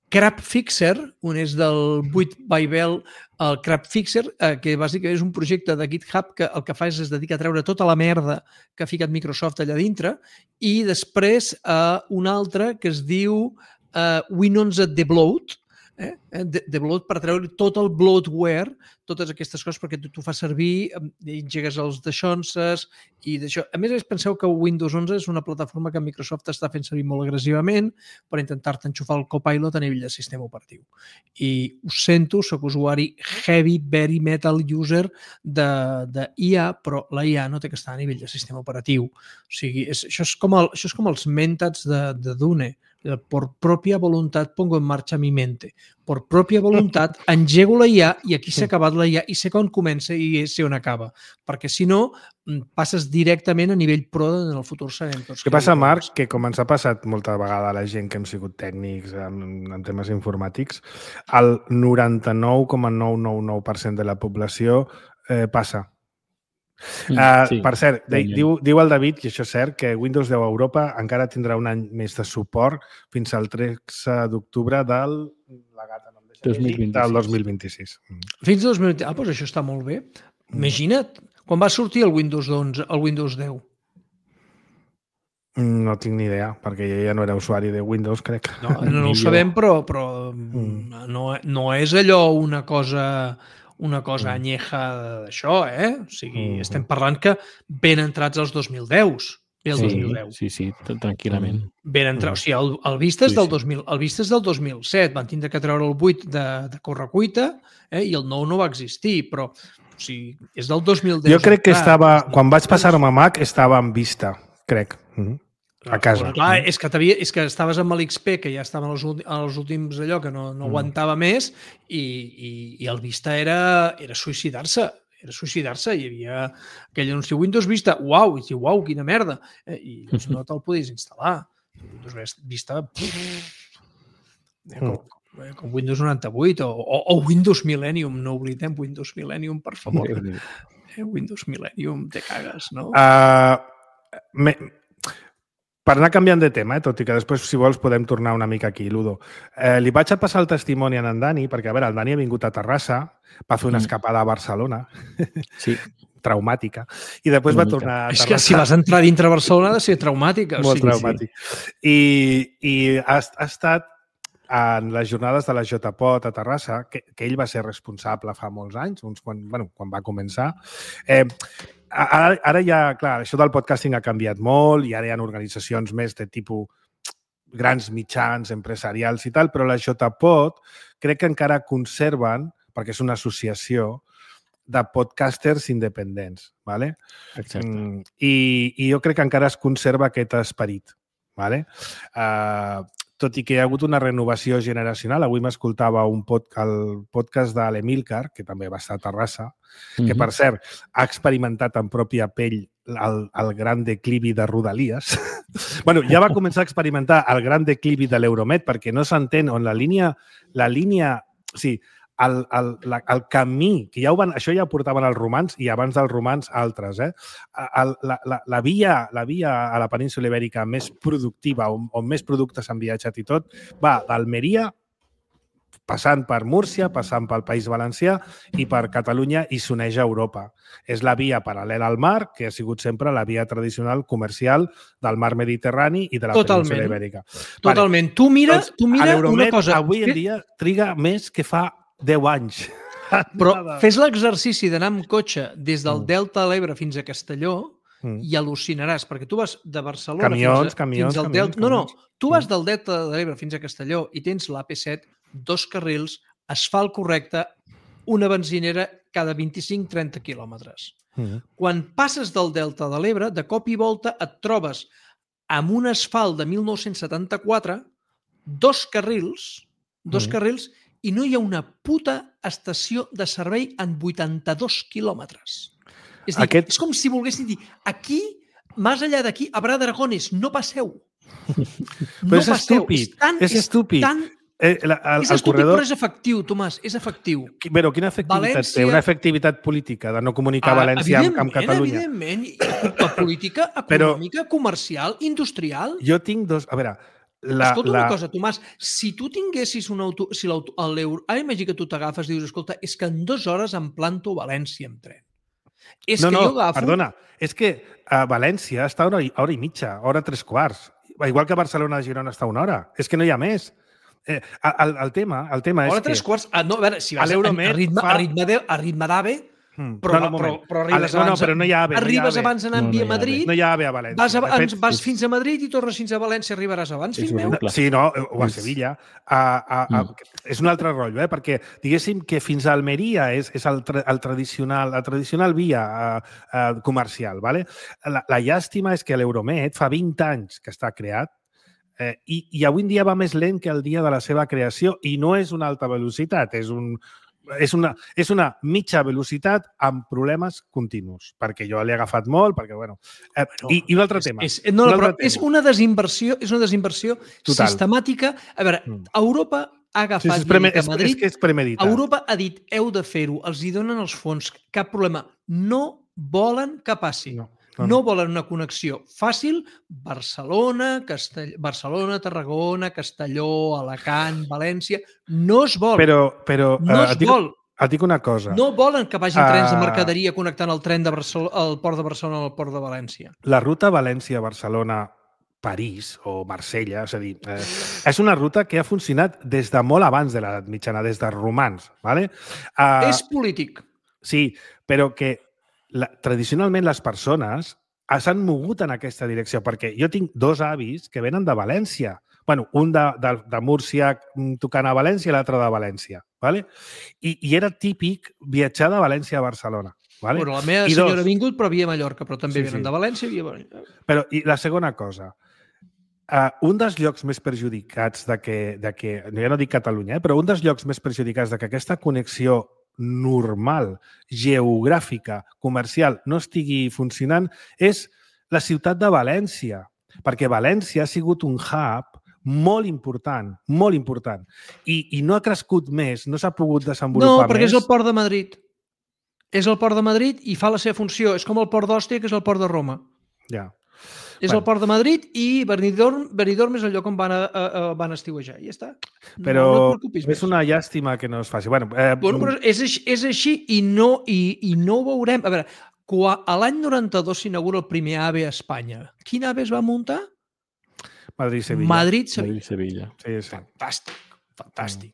Crap Fixer, un és del vuit by Bell, el Crap Fixer, eh, que bàsicament és un projecte de GitHub que el que fa és es dedica a treure tota la merda que ha ficat Microsoft allà dintre, i després eh, un altre que es diu eh, Windows Debloat, Eh? Debloat per treure tot el bloatware, totes aquestes coses, perquè tu, tu fas servir, engegues els deixonses i d'això. A més, penseu que Windows onze és una plataforma que Microsoft està fent servir molt agressivament per intentar-te enxufar el Copilot a nivell de sistema operatiu. I us sento, soc usuari heavy, very metal user de, de I A, però la I A no té que estar a nivell de sistema operatiu. O sigui, és, això, és com el, això és com els mentats de, de Dune. Por propia voluntad pongo en marcha mi mente. Por propia voluntat engego la I A i aquí s'ha acabat la I A i sé on comença i sé on acaba. Perquè si no, passes directament a nivell pro en el futur sabem tots. Què passa, Marc? Que com ens ha passat molta vegada a la gent que hem sigut tècnics en, en temes informàtics, el noranta-nou coma nou nou nou per cent de la població eh, passa. Mm, uh, sí, per cert, de, diu, diu el David, i això és cert, que Windows deu a Europa encara tindrà un any més de suport fins al tretze d'octubre del, la gata, no em deixa dos mil vint-i-sis. del dos mil vint-i-sis. Fins al dos mil vint-i-sis. Ah, doncs això està molt bé. Imagina't, quan va sortir el Windows onze, el Windows deu? No tinc ni idea, perquè jo ja no era usuari de Windows, crec. No, no, no ho sabem, però, però mm. no, no és allò una cosa... una cosa anyeja d'això, eh? O sigui, mm. estem parlant que ben entrats als dos mil deu. Bé el sí, dos mil deu. Sí, sí, tranquil·lament. Ben entrats. O sigui, el, el Vista és del dos mil, el Vista és del dos mil set. Van tindre que treure el vuit de, de correcuita eh? I el nou no va existir, però o sigui, és del dos mil deu. Jo crec que estava... Quan vaig passar-me a Mac, estava en Vista, crec. Mm. A casa. Bueno, clar, és que, és que estaves amb l'X P, que ja estava en els, els últims allò, que no, no mm. aguantava més, i, i, i el Vista era, era suïcidar-se. Era suïcidar-se. Hi havia aquell anunci Windows Vista. Uau! I diu, uau, quina merda! Eh, I doncs, no te'l podies instal·lar. Windows Vista... Com, com Windows noranta-vuit o, o, o Windows Millennium. No oblidem Windows Millennium, per favor. Eh, Windows Millennium, te cagues, no? Uh, me... Per anar canviant de tema, eh, tot i que després, si vols, podem tornar una mica aquí, Ludo. Eh, li vaig a passar el testimoni a en Dani, perquè, a veure, el Dani ha vingut a Terrassa, va fer una escapada a Barcelona, sí. traumàtica, i després una va mica. tornar a Terrassa. És que si vas entrar dintre Barcelona ha de ser traumàtica. Molt o sigui, traumàtic. Sí. I, i ha, ha estat en les jornades de la JPOT a Terrassa, que, que ell va ser responsable fa molts anys, uns quan, bueno, quan va començar. Eh, Ara, ara ja, clar, això del podcasting ha canviat molt i ara hi ha organitzacions més de tipus grans mitjans, empresarials i tal, però la JPOT crec que encara conserven, perquè és una associació de podcasters independents, ¿vale? Exacte. Mm, i, i jo crec que encara es conserva aquest esperit, ¿vale? Uh, tot i que hi ha hagut una renovació generacional. Avui m'escoltava un pod, el podcast de l'Emilcar, que també va estar a Terrassa, que, mm-hmm. per cert, ha experimentat en pròpia pell el, el gran declivi de Rodalies. bueno, ja va començar a experimentar el gran declivi de l'Euromed, perquè no s'entén on la línia... La línia o sigui, el, el, la, el camí, que ja ho van, això ja ho portaven els romans i abans dels romans altres, eh? El, la, la, la, via, la via a la península ibèrica més productiva, on, on més productes han viatjat i tot, va d'Almeria, passant per Múrcia, passant pel País Valencià i per Catalunya i s'uneix a Europa. És la via paral·lela al mar, que ha sigut sempre la via tradicional comercial del mar Mediterrani i de la Totalment. península ibèrica. Totalment. Vale. Tu mira, doncs, tu mira una cosa... Avui en dia triga més que fa deu anys. Però fes l'exercici d'anar amb cotxe des del Delta de l'Ebre fins a Castelló mm. i al·lucinaràs, perquè tu vas de Barcelona camions, fins, a, camions, fins al camions, Delta... No, no, tu vas del Delta de l'Ebre fins a Castelló i tens l'A P set, dos carrils, asfalt correcte, una benzinera cada vint-i-cinc a trenta quilòmetres. Mm. Quan passes del Delta de l'Ebre, de cop i volta et trobes amb un asfalt de mil nou-cents setanta-quatre, dos carrils, dos mm. carrils, i no hi ha una puta estació de servei en vuitanta-dos quilòmetres. És dir, Aquest... és com si volguessin dir, aquí, més enllà d'aquí, a Bra d'Aragones, no passeu. No Però és passeu. estúpid, és, tan, és estúpid. És, tan... eh, la, el, és estúpid, corredor... però és efectiu, Tomàs, és efectiu. Però quina efectivitat València... té? Una efectivitat política de no comunicar ah, València amb, amb Catalunya. Evidentment, evidentment. Política, econòmica, però... comercial, industrial... Jo tinc dos... A veure... La, escolta la... una cosa, Tomàs, si tu tinguessis un auto... Si l'euro... Ara imagina que tu t'agafes i dius, escolta, és que en dues hores em planto a València amb tren. És no, que no, jo agafo... perdona, és que a València està una hora i mitja, hora tres quarts. Igual que a Barcelona de Girona està una hora. És que no hi ha més. Eh, el, el tema, el tema és hora que... tres quarts... Ah, no, a veure, si vas a, a, ritme, fa... a ritme de, a ritme d'AVE... Hmm. Però, no, no, però, però arribes no, no, abans, però no hi ha ave, arribes no hi ha abans anant no, no via Madrid, no hi ha ave a València. Vas, a, fet, vas és... fins a Madrid i tornes fins a València, arribaràs abans, fill meu. Sí, no, o a Sevilla. A, a, a, mm. És un altre rotllo, eh? Perquè diguéssim que fins a Almeria és, és el, tra, el tradicional, la tradicional via a, a, comercial. Vale? La, la llàstima és que l'Euromed fa vint anys que està creat Eh, i, I avui en dia va més lent que el dia de la seva creació i no és una alta velocitat, és, un, és, una, és una mitja velocitat amb problemes continus, perquè jo l'he agafat molt, perquè, bueno... Eh, no, I, I un altre és, tema. És, no, un però altre és tema. una desinversió, és una desinversió Total. sistemàtica. A veure, Mm. Europa ha agafat sí, sí, preme, a Madrid... És, és que és premeditat. Europa ha dit, heu de fer-ho, els hi donen els fons, cap problema. No volen que passi. No. No, no volen una connexió fàcil, Barcelona, Castell... Barcelona, Tarragona, Castelló, Alacant, València... No es vol. Però, però no es et dic, vol. Et dic una cosa. No volen que vagin trens de Uh, mercaderia connectant el tren de Barcelona, el port de Barcelona al port de València. La ruta València-Barcelona-París o Marsella, és a dir, eh, és una ruta que ha funcionat des de molt abans de l'edat mitjana, des dels romans. ¿Vale? Uh, És polític. Sí, però que la, tradicionalment les persones s'han mogut en aquesta direcció, perquè jo tinc dos avis que venen de València. Bueno, un de, de, de Múrcia tocant a València i l'altre de València. ¿Vale? I, I era típic viatjar de València a Barcelona. ¿Vale? Bueno, la meva I senyora dos, ha vingut, però via Mallorca, però també sí, venen sí. de València i via València. Però i la segona cosa, uh, un dels llocs més perjudicats de que, de que, ja no dic Catalunya, eh, però un dels llocs més perjudicats de que aquesta connexió normal, geogràfica, comercial, no estigui funcionant és la ciutat de València, perquè València ha sigut un hub molt important, molt important, i, i no ha crescut més, no s'ha pogut desenvolupar més. No, perquè és el port de Madrid. És el port de Madrid i fa la seva funció. És com el port d'Òstia, que és el port de Roma. Ja. És bueno. el port de Madrid i Benidorm, Benidorm és el lloc on van, a, a, a, van estiuejar. I ja està. Però no, no et preocupis és més. una llàstima que no es faci. Bueno, eh, bueno però és, és així i no, i, i no ho veurem. A veure, quan a l'any noranta-dos s'inaugura el primer AVE a Espanya, quin AVE es va muntar? Madrid-Sevilla. Madrid-Sevilla. Madrid-Sevilla. Sí, sí. Fantàstic, fantàstic.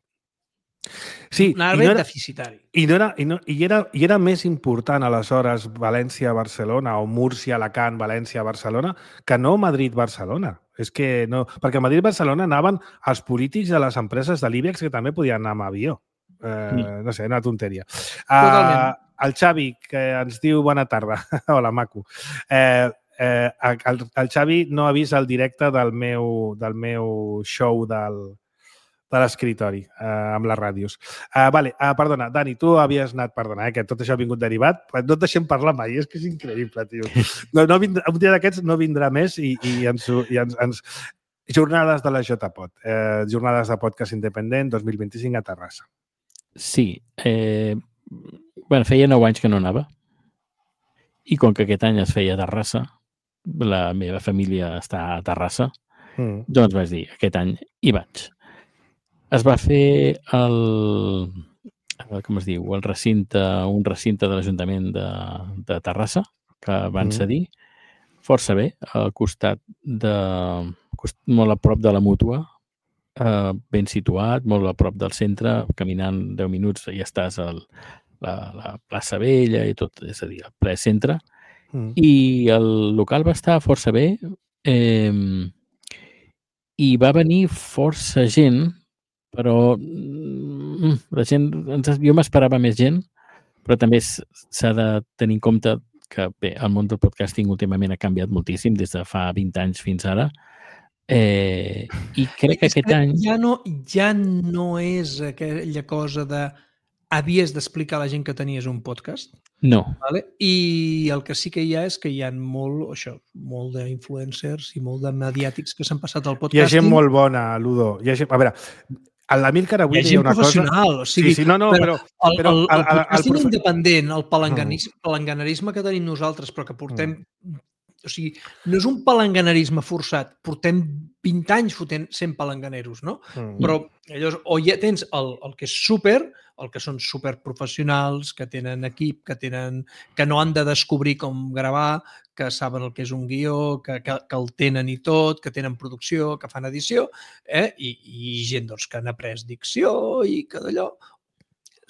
Sí, un AVE i no era, deficitari. I, no era, i, no, i, era, I era més important aleshores València-Barcelona o Múrcia-Alacant, València-Barcelona que no Madrid-Barcelona. És que no... Perquè a Madrid-Barcelona anaven els polítics de les empreses de l'Ibex que també podien anar amb avió. Eh, mm. No sé, una tonteria. Totalment. Uh, el Xavi, que ens diu bona tarda. Hola, maco. Eh, eh, el, el Xavi no ha vist el directe del meu, del meu show del... de l'escriptori, eh, amb les ràdios. Uh, vale, uh, perdona, Dani, tu havies anat, perdona, eh, que tot això ha vingut derivat, no et deixem parlar mai, és que és increïble, tio. No, no vindrà, un dia d'aquests no vindrà més i, i, ens, i ens, ens... Jornades de la JPod, eh, jornades de podcast independent dos mil vint-i-cinc a Terrassa. Sí. Eh, bueno, feia nou anys que no anava i com que aquest any es feia a Terrassa, la meva família està a Terrassa, mm. doncs vaig dir, aquest any hi vaig. Es va fer el, com es diu, el recinte, un recinte de l'Ajuntament de, de Terrassa, que van mm. cedir, força bé, al costat de, molt a prop de la Mútua, eh, ben situat, molt a prop del centre, caminant deu minuts i ja estàs a la, la plaça Vella i tot, és a dir, al ple centre. Mm. I el local va estar força bé eh, i va venir força gent, però la gent, jo m'esperava més gent, però també s'ha de tenir en compte que bé, el món del podcasting últimament ha canviat moltíssim des de fa vint anys fins ara, eh, i crec que aquest any... Ja no, ja no és aquella cosa de havies d'explicar a la gent que tenies un podcast. No. Vale? I el que sí que hi ha és que hi ha molt, això, molt d'influencers i molt de mediàtics que s'han passat al podcasting. Hi ha gent molt bona, Ludo. Hi ha gent... A veure, l'Amílcar avui hi ha gent una professional, cosa... o sigui, sí, sí, no, no, però... El, però el, el, el podcasting el, el independent, el palanganarisme, palanganarisme que tenim nosaltres, però que portem... Mm. O sigui, no és un palanganarisme forçat, portem vint anys fotent sent palanganeros, no? Mm. Però llavors, o ja tens el, el que és súper, el que són superprofessionals, que tenen equip, que tenen que no han de descobrir com gravar, que saben el que és un guió, que, que, que el tenen i tot, que tenen producció, que fan edició, eh? I, i gent doncs, que han après dicció i que d'allò...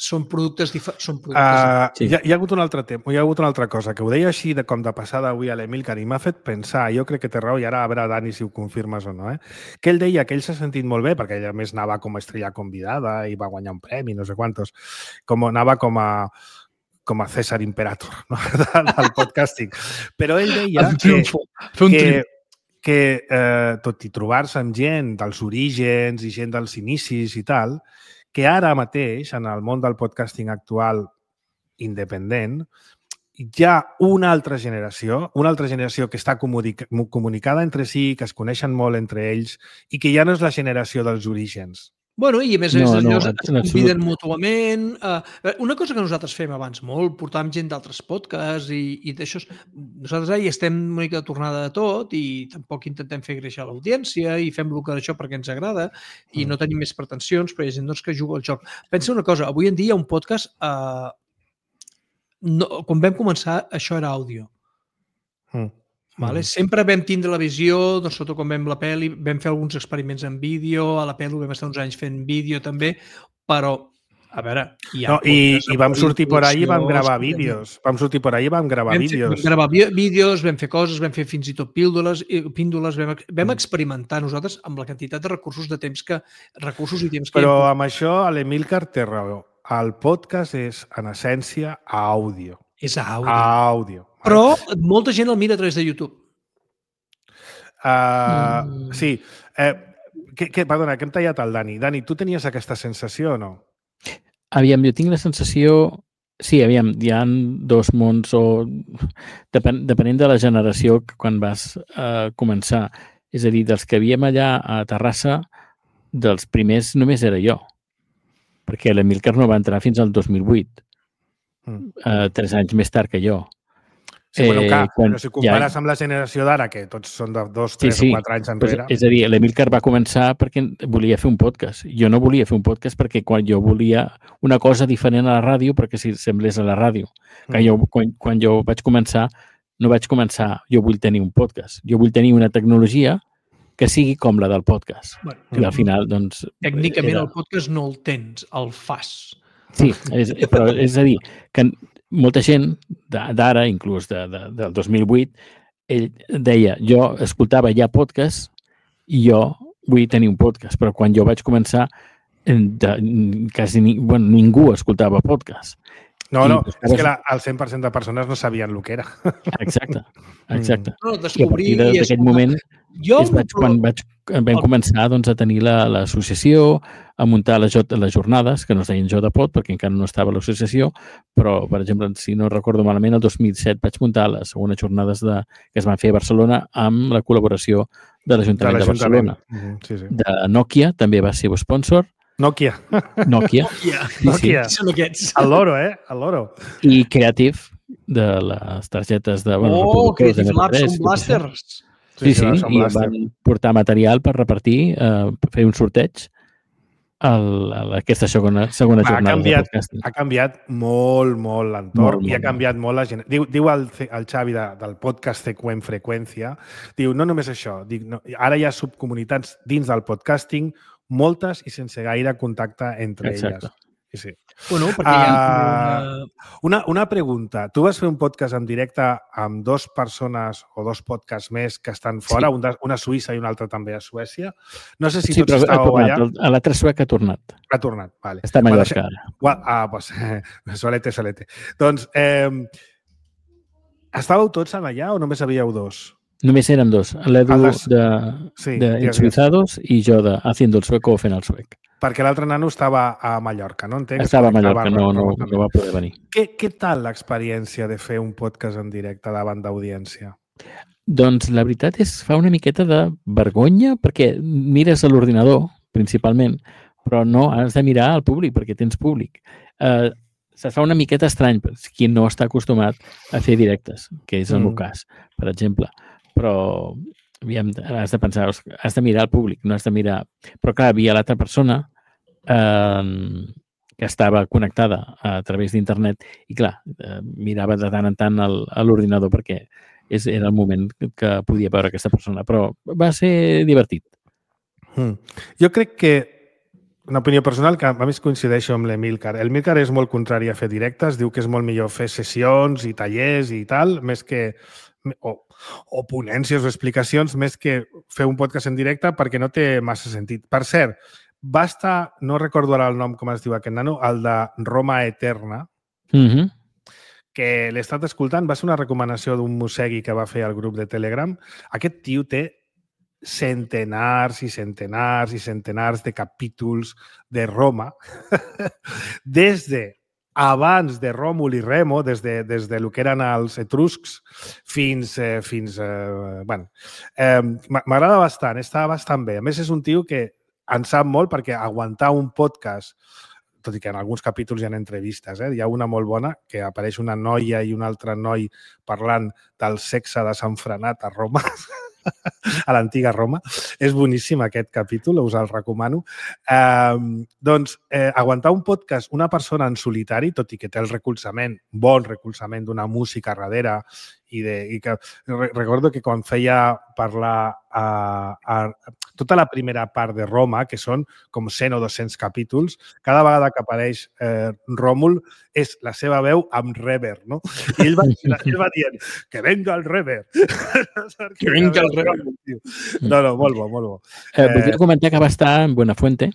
Són productes diferents. Uh, sí. hi, ha, hi ha hagut un altre tema, hi ha hagut una altra cosa, que ho deia així de com de passada avui a l'Emílcar i m'ha fet pensar, jo crec que té raó, i ara a veure, Dani, si ho confirmes o no, eh? Que ell deia que ell s'ha sentit molt bé, perquè ella més anava com a estrella convidada i va guanyar un premi, no sé quantos, com anava com a com a César Imperator, no? del podcasting. Però ell deia que, que, que, eh, tot i trobar-se amb gent dels orígens i gent dels inicis i tal, que ara mateix, en el món del podcasting actual independent, hi ha una altra generació, una altra generació que està comunica comunicada entre si, que es coneixen molt entre ells i que ja no és la generació dels orígens. Bueno, i a més, No, no, es en conviden absolut. mútuament. Uh, una cosa que nosaltres fem abans molt, portàvem gent d'altres podcasts i, i d'això. Nosaltres ara hi estem una mica de tornada de tot i tampoc intentem fer créixer l'audiència i fem el que això perquè ens agrada i no tenim més pretensions, però hi ha gent doncs, que juga al joc. Pensa una cosa, avui en dia un podcast, uh, no, quan vam començar, això era àudio. Mm. Vale? Sempre vam tindre la visió, doncs, sobretot quan vam la pel·li, vam fer alguns experiments en vídeo, a la pel·li vam estar uns anys fent vídeo també, però, a veure... Hi ha no, i, I vam sortir por ahí i vam gravar vídeos. Vam sortir por ahí i vam gravar vam vídeos. Vam gravar vídeos, vam fer coses, vam fer fins i tot píndoles, píndoles vam, vam experimentar nosaltres amb la quantitat de recursos de temps que... recursos i temps que... Però amb això l'Emílcar té raó. El podcast és, en essència, àudio. És àudio. Àudio. Però molta gent el mira a través de YouTube. Uh, mm. Sí. Eh, que, que, perdona, que hem tallat el Dani. Dani, tu tenies aquesta sensació o no? Aviam, jo tinc la sensació... Sí, aviam, hi ha dos mons o... Depen, depenent de la generació quan vas uh, començar. És a dir, dels que havíem allà a Terrassa, dels primers només era jo. Perquè l'Emílcar no va entrar fins al dos mil vuit. Mm. Uh, tres anys més tard que jo. Sí, bueno, clar, eh, quan, però si compares ja... amb la generació d'ara, que tots són de dos, tres sí, sí. o quatre anys enrere... Pues, és a dir, l'Emílcar va començar perquè volia fer un podcast. Jo no volia fer un podcast perquè quan jo volia una cosa diferent a la ràdio perquè si semblés a la ràdio. Que mm. jo, quan, quan jo vaig començar, no vaig començar, jo vull tenir un podcast. Jo vull tenir una tecnologia que sigui com la del podcast. Bueno, que al final, doncs... Tècnicament era... el podcast no el tens, el fas. Sí, és, però és a dir, que molta gent d'ara, inclús de, de, del dos mil vuit, ell deia, jo escoltava ja podcast i jo vull tenir un podcast, però quan jo vaig començar, de, quasi ni, bueno, ningú escoltava podcast. No, no, I, és que la, el cent per cent de persones no sabien el que era. Exacte, exacte. No, I a partir d'aquest moment jo és vaig, quan vaig, vam començar doncs, a tenir l'associació, a muntar les, les jornades, que no es deien JPod, perquè encara no estava l'associació, però, per exemple, si no recordo malament, el dos mil set vaig muntar les segones jornades de, que es van fer a Barcelona amb la col·laboració de l'Ajuntament de, de Barcelona. Mm-hmm, sí, sí. De Nokia, també va ser sponsor. Nokia. Nokia. Nokia. Sí, Nokia. Sí. Són aquests. El loro, eh? El loro. I Creative, de les targetes de... Bueno, oh, Creative Labs, són blasters. Sí, sí, sí, i van portar material per repartir, eh, per fer un sorteig a aquesta segona, segona jornada. Ha canviat, ha canviat molt, molt l'entorn i ha canviat molt la gent. Diu, diu el, el Xavi de, del podcast Seqüent Freqüència, diu, no només això, dic, no, ara hi ha subcomunitats dins del podcasting, moltes i sense gaire contacte entre Exacte. elles. Sí, sí. Bueno, perquè hi ha uh, una... una pregunta. Tu vas fer un podcast en directe amb dues persones o dos podcasts més que estan fora, sí. un de, una a Suïssa i un altre també a Suècia. No sé si sí, tots estàveu allà. L'altre suec ha tornat. Ha tornat, vale. Està a Mallorca ara. Well, ah, doncs, eh, solete, solete. Doncs, eh, estàveu tots allà o només havíeu dos? Només érem dos, l'Edu les... de, sí, de Ensuizados i jo de Haciendo el Sueco o fent el suec. Perquè l'altre nano estava a Mallorca, no entenc? Estava a Mallorca, no, no, no va poder venir. Què, què tal l'experiència de fer un podcast en directe davant d'audiència? Doncs la veritat és fa una miqueta de vergonya perquè mires a l'ordinador, principalment, però no has de mirar al públic perquè tens públic. Eh, se fa una miqueta estrany per qui no està acostumat a fer directes, que és el mm. meu cas, per exemple. Però aviam, has de pensar, has de mirar al públic, no has de mirar... Però clar, havia l'altra persona eh, que estava connectada a través d'internet i clar, eh, mirava de tant en tant el, a l'ordinador perquè és, era el moment que podia veure aquesta persona, però va ser divertit. Mm. Jo crec que una opinió personal que a més coincideixo amb l'Emílcar. L'Emílcar és molt contrari a fer directes, diu que és molt millor fer sessions i tallers i tal, més que... O, o ponències o explicacions més que fer un podcast en directe perquè no té massa sentit. Per cert, va estar, no recordo ara el nom com es diu aquest nano, el de Roma Eterna, mm-hmm. que l'he estat escoltant, va ser una recomanació d'un mossegui que va fer al grup de Telegram. Aquest tio té centenars i centenars i centenars de capítols de Roma, des de abans de Ròmul i Remo, des de, des de lo que eren els etruscs fins... Eh, fins eh, bueno, eh, m'agrada bastant, està bastant bé. A més, és un tio que en sap molt perquè aguantar un podcast, tot i que en alguns capítols hi ha entrevistes, eh? Hi ha una molt bona que apareix una noia i un altre noi parlant del sexe desenfrenat a Roma, a l'antiga Roma. És boníssim aquest capítol, us el recomano. Eh, doncs, eh, aguantar un podcast, una persona en solitari, tot i que té el recolzament, bon recolzament d'una música darrere, i, de, i que recordo que quan feia parlar a, a tota la primera part de Roma, que són com cent o dos-cents capítols, cada vegada que apareix eh, Ròmul és la seva veu amb reverb, no? I ell va, ell va dient que venga el reverb. Que venga el reverb. No, no, molt bo, molt bo. Eh, Voldria comentar que va estar en Buenafuente.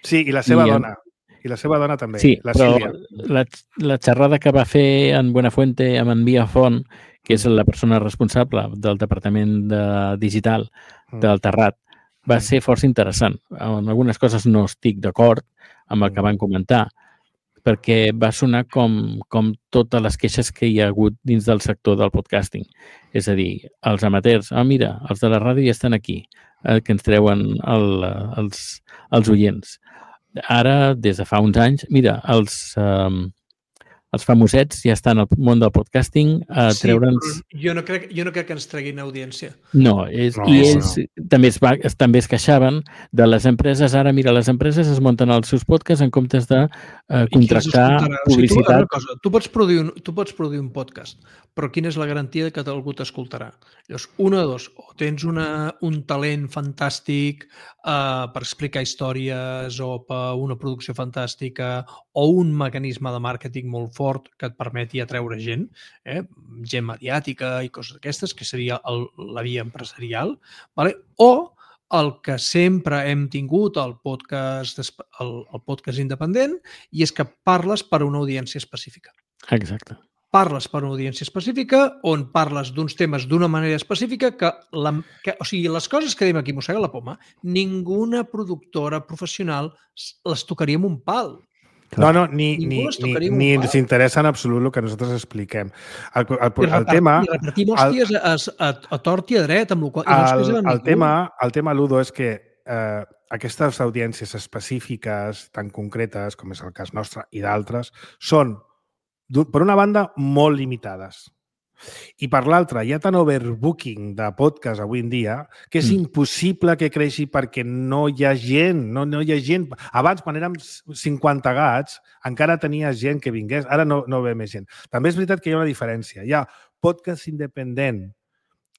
Sí, i la seva I, dona. I la seva dona també, sí, la però Sílvia. La, la xerrada que va fer en Buenafuente amb en Via Font, que és la persona responsable del departament de digital del Terrat, va ser força interessant. En algunes coses no estic d'acord amb el que van comentar, perquè va sonar com, com totes les queixes que hi ha hagut dins del sector del podcasting. És a dir, els amateurs, ah, mira, els de la ràdio ja estan aquí, eh, que ens treuen el, els, els oients. Ara, des de fa uns anys, mira, els... Eh, els famosets ja estan al món del podcasting a sí, treure'ns... Jo no, crec, jo no crec que ens treguin audiència. No, és, no i ells no. també es, va, es, també es queixaven de les empreses. Ara, mira, les empreses es munten els seus podcasts en comptes de eh, contractar publicitat. O sigui, tu, cosa, tu, pots produir un, tu pots produir un podcast, però quina és la garantia de que algú t'escoltarà? Llavors, una o dos, o tens una, un talent fantàstic eh, per explicar històries o per una producció fantàstica o un mecanisme de màrqueting molt fort que et permeti atreure gent, eh? gent mediàtica i coses d'aquestes, que seria el, la via empresarial, vale? O el que sempre hem tingut al podcast, el, el podcast independent, i és que parles per a una audiència específica. Exacte. Parles per a una audiència específica on parles d'uns temes d'una manera específica que, la, que, o sigui, les coses que diem aquí mossega la poma, ninguna productora professional les tocaria amb un pal. No, no, ni, ni, ni, ni ens interessa en absolut el que nosaltres expliquem. El, el, el, el tema... I repartim hòsties a, a, a tort i a dret, amb el qual... El, el, el, tema, el tema, Ludo, és que eh, aquestes audiències específiques tan concretes, com és el cas nostre i d'altres, són, per una banda, molt limitades. I per l'altra, hi ha tant overbooking de podcast avui en dia que és mm. impossible que creixi perquè no hi ha gent, no, no hi ha gent. Abans, quan érem cinquanta gats, encara tenia gent que vingués. Ara no, no ve més gent. També és veritat que hi ha una diferència. Hi ha podcast independent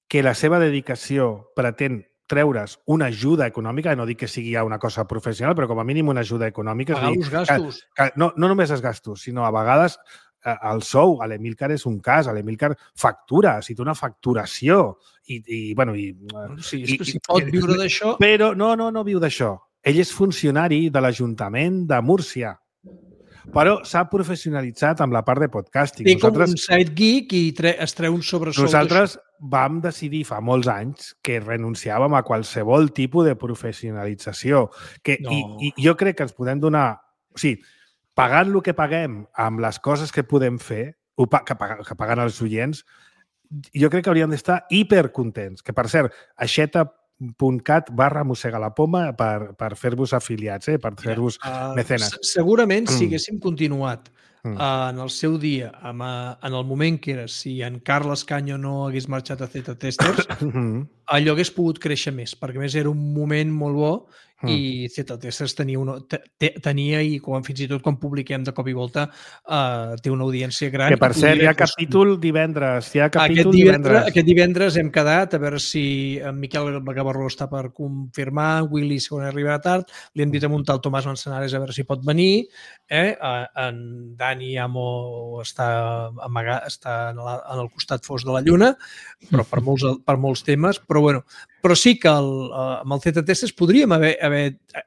que la seva dedicació pretén treure's una ajuda econòmica, no dic que sigui ja una cosa professional, però com a mínim una ajuda econòmica. Pagar els gastos. Que, que, no, no només els gastos, sinó a vegades el sou. A l'Emílcar és un cas. A l'Emílcar factura, si té una facturació. I, i bueno, i, sí, és que si pot viure d'això... Però no, no, no viu d'això. Ell és funcionari de l'Ajuntament de Múrcia. Però s'ha professionalitzat amb la part de podcasting. Té com un side geek i tre es treu un sobresou. Nosaltres vam decidir fa molts anys que renunciàvem a qualsevol tipus de professionalització. Que, no. i, I jo crec que ens podem donar... O sigui, pagant el que paguem amb les coses que podem fer, que paguen els oients, jo crec que hauríem d'estar hipercontents. Que, per cert, aixeta punt cat barra mossega la poma per, per fer-vos afiliats, eh? Per fer-vos uh, mecenes. Segurament, si haguéssim continuat mm. uh, en el seu dia, amb, uh, en el moment que era, si en Carles Canyo no hagués marxat a Zeta Testers, allò hagués pogut créixer més, perquè més era un moment molt bo Mm. i Zeta Testers tenia, una, tenia i com, fins i tot quan publiquem de cop i volta uh, té una audiència gran. Que per cert, hi ha capítol divendres. Hi ha capítol aquest divendres, divendres. Aquest divendres hem quedat a veure si en Miquel Gavarró està per confirmar, en Willy segons arribarà tard, li hem dit a muntar el Tomàs Manzanares a veure si pot venir, eh? en Dani Amo està, amagat, està en, la, en el costat fos de la lluna, però per molts, per molts temes, però bueno, però sí que el, amb el Zeta Testers podríem haver, haver,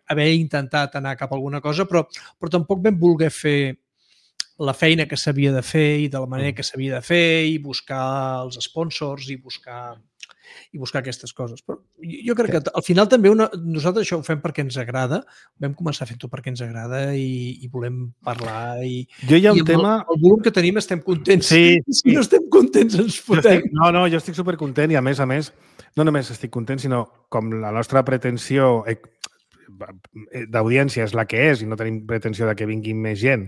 haver intentat anar cap a alguna cosa, però, però tampoc vam voler fer la feina que s'havia de fer i de la manera que s'havia de fer i buscar els sponsors i buscar... i buscar aquestes coses. Però jo crec que al final també una, nosaltres això ho fem perquè ens agrada, vam començar fent-ho perquè ens agrada i, i volem parlar i, jo hi ha un i amb tema... el, el volum que tenim estem contents. Sí, sí. Si no estem contents ens fotem. Estic, no, no, jo estic supercontent i a més a més no només estic content, sinó com la nostra pretensió d'audiència és la que és i no tenim pretensió de que vinguin més gent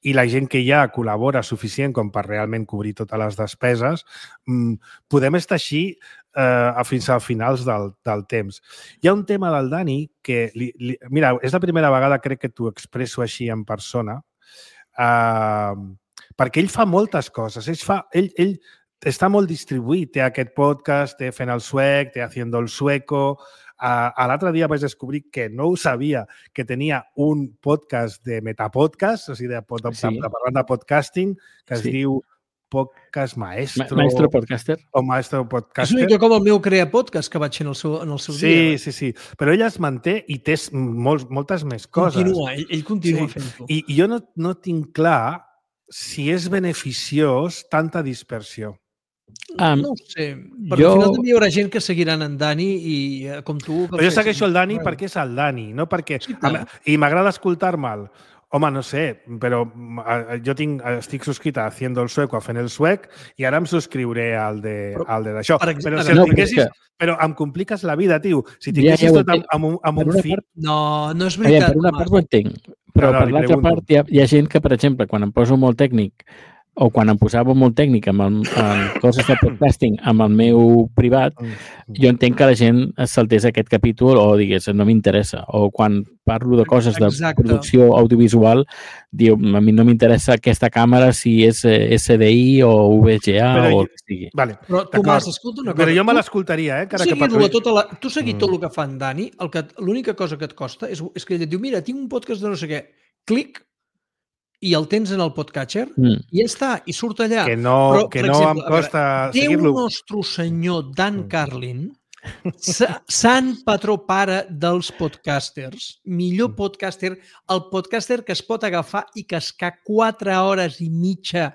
i la gent que hi ha col·labora suficient com per realment cobrir totes les despeses, podem estar així eh, fins a finals del, del temps. Hi ha un tema del Dani que, li, li, mira, és la primera vegada crec que t'ho expresso així en persona, eh, perquè ell fa moltes coses. Ell, fa, ell, ell està molt distribuït. Té aquest podcast, té Fent el Suec, té Haciendo el Sueco. Uh, L'altre dia vaig descobrir que no ho sabia, que tenia un podcast de metapodcast, o sigui, de, de, sí. de, de parlant de podcasting, que es sí. diu Podcast Maestro. Ma Maestro Podcaster. O Maestro Podcaster. És una mica com el meu Crea Podcast, que vaig fer en el seu, en el seu sí, dia. Sí, sí, sí. Però ell es manté i té molts, moltes més coses. Continua, ell, ell continua sí. fent-ho. I, I jo no, no tinc clar si és beneficiós tanta dispersió. Um, no ho sé, però jo... al final també hi haurà gent que seguiran en Dani i com tu... Però jo segueixo el Dani perquè és el Dani, no perquè... Sí, I m'agrada escoltar-me'l. Home, no sé, però jo tinc, estic subscrit a Haciendo el Sueco, a Fent el Suec, i ara em subscriuré al de d'això. Però, però, si no, tinguessis, que... però em compliques la vida, tio. Si tinguessis ja, ja tot amb, amb un, amb un feed... Part... No, no és veritat. Per una part ho entenc, però no, no, per l'altra part hi ha, hi ha gent que, per exemple, quan em poso molt tècnic o quan em posava molt tècnic amb, el, amb coses de podcasting amb el meu privat, jo entenc que la gent es saltés aquest capítol o digués, no m'interessa. O quan parlo de coses de Exacte. producció audiovisual, diu, a mi no m'interessa aquesta càmera si és S D I o V G A però o el que sigui. Vale, però Tomàs, escolta una cosa. Però jo me l'escoltaria, eh? Tu seguir, tota la, tu seguir mm. tot el que fa en Dani, l'única cosa que et costa és, és que ell et diu, mira, tinc un podcast de no sé què, clic, i el tens en el podcatcher mm. i ja està, i surt allà. Que no, Però, que no exemple, em costa seguir-lo. Déu nostre senyor Dan mm. Carlin, sant patró pare dels podcasters, millor podcaster, el podcaster que es pot agafar i cascar quatre hores i mitja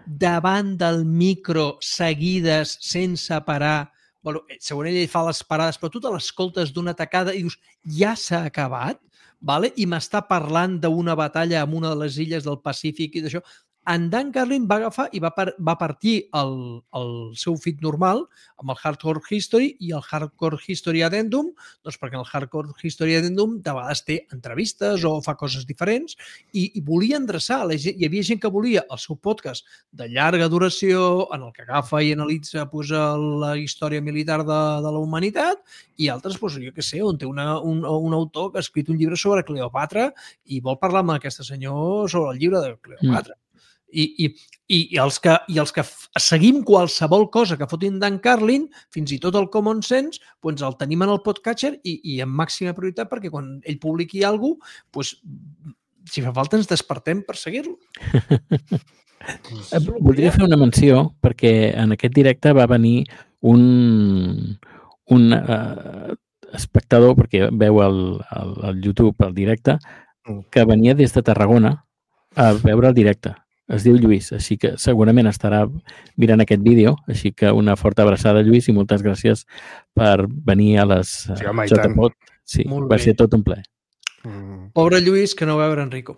davant del micro seguides, sense parar. Bueno, segons ell fa les parades, però tu te l'escoltes d'una tacada i dius, ja s'ha acabat? Vale? I m'està parlant d'una batalla en una de les illes del Pacífic i d'això. En Dan Carlin va agafar i va, par va partir el, el seu feed normal amb el Hardcore History i el Hardcore History Addendum, doncs perquè el Hardcore History Addendum de vegades té entrevistes o fa coses diferents i, i volia endreçar. La gent, hi havia gent que volia el seu podcast de llarga duració en el que agafa i analitza pues, la història militar de, de la humanitat i altres, pues, jo què sé, on té una, un, un autor que ha escrit un llibre sobre Cleopatra i vol parlar amb aquest senyor sobre el llibre de Cleopatra. Mm. I, i, i, els que, i els que seguim qualsevol cosa que fotin Dan Carlin, fins i tot el Common Sense, doncs el tenim en el podcatcher i, i amb màxima prioritat perquè quan ell publiqui alguna cosa, doncs, si fa falta ens despertem per seguir-lo. Voldria fer una menció perquè en aquest directe va venir un, un uh, espectador, perquè veu el, el, el YouTube, el directe, que venia des de Tarragona a veure el directe. Es diu Lluís, així que segurament estarà mirant aquest vídeo, així que una forta abraçada, Lluís, i moltes gràcies per venir a les sí, home, J P O D. Sí, va ser tot un plaer. Mm. Pobre Lluís, que no va veure Enrico.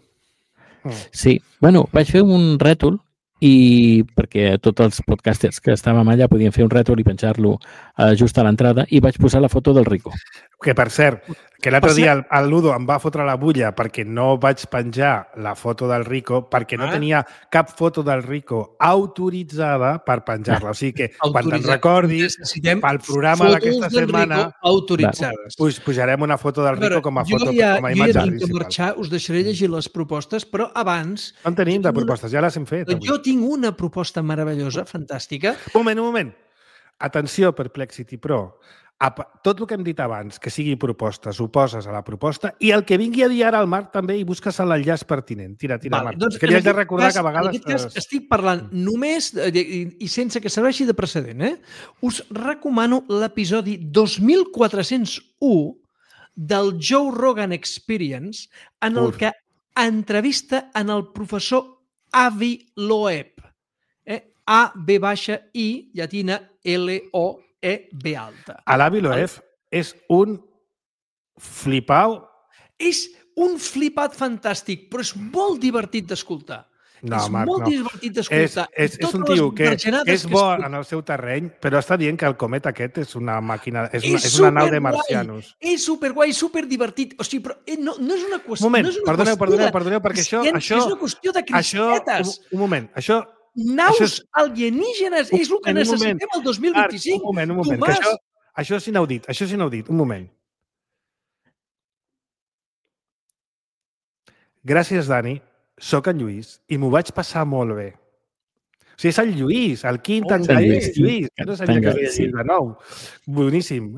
Sí, bueno, vaig fer un rètol i perquè tots els podcasters que estàvem allà podien fer un rètol i penjar-lo just a l'entrada i vaig posar la foto del Rico. Que, per cert, que l'altre dia el, el Ludo em va fotre la bulla perquè no vaig penjar la foto del Rico perquè no ah. tenia cap foto del Rico autoritzada per penjar-la. O sigui que, quan te'n recordis, pel programa d'aquesta setmana autoritzades. Pues, pujarem una foto del Rico com a foto, ja, com a imatge jo ja tinc que marxar, us deixaré llegir les propostes, però abans... No en tenim de propostes, ja les hem fet. Avui. Jo tinc una proposta meravellosa, fantàstica. Un moment, un moment. Atenció, Perplexity Pro. Tot el que hem dit abans, que sigui propostes, ho poses a la proposta i el que vingui a dir ara al Marc també i busques l'enllaç pertinent. Tira, tira, vale, Marc. Doncs, que li has de recordar cas, que a vegades... En aquest cas estic parlant només i, i sense que serveixi de precedent. Eh? Us recomano l'episodi dos mil quatre-cents u del Joe Rogan Experience en el Uf. que entrevista en el professor Avi Loeb. Eh? A, B baixa, I, llatina, L, O, E B alta. Alavi Loeb és un flipau. És un flipat fantàstic, però és molt divertit d'escoltar. No, és Marc, molt no. divertit d'escoltar. És, és, és un tio que, que és bo en el seu terreny, però està dient que el comet aquest és una màquina, és una, és és una nau de marcianos. És superguai, superdivertit. O sigui, però no, no és una qüestió... Un moment, no és una perdoneu, qüestió perdoneu, de, perdoneu, perquè això... això és una qüestió de crispetes. Això, un, un moment, això... Naus això és, alienígenes, és el que necessitem el dos mil vint-i-cinc. Un moment, un moment, que això, això és inaudit, això és inaudit, un moment. Gràcies, Dani. Soc en Lluís i m'ho vaig passar molt bé. O sigui, és el Lluís, el quint oh, engaís, Lluís, que no sabia que havia llegit de nou. Boníssim.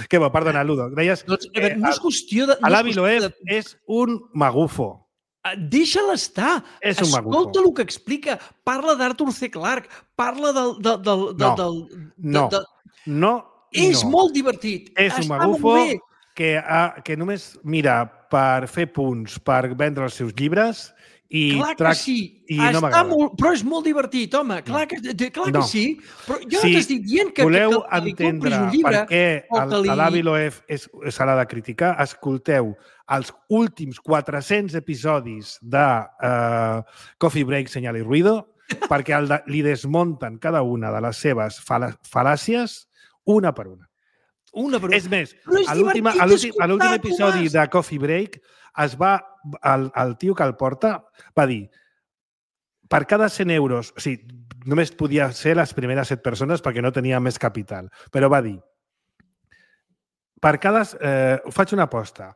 Que bo, perdona, Ludo. Deies, doncs, eh, no és qüestió de... No Alavi Loeb de... és un magufo. Deixa-la estar. És un magufo. Escolta el que explica. Parla d'Arthur C. Clarke. Parla del... del, del, no, del, no, del, no, És no. molt divertit. És un Està magufo que, ha, que només mira per fer punts, per vendre els seus llibres i... Clar que trac... sí, i està no molt, però és molt divertit, home. Clar que, clar no. que sí, però jo si no t'estic dient que, voleu que, que li compris un llibre... per què li... Alavi Loeb s'ha de criticar, escolteu els últims quatre-cents episodis de uh, Coffee Break, Senyal i Ruido, perquè el de, li desmunten cada una de les seves fal fal·làcies una per una. Una per una. És més, és a l'últim episodi Tomàs. de Coffee Break es va, el, el tio que el porta va dir per cada cent euros, o sigui, només podia ser les primeres set persones perquè no tenia més capital, però va dir per cada... Eh, faig una aposta,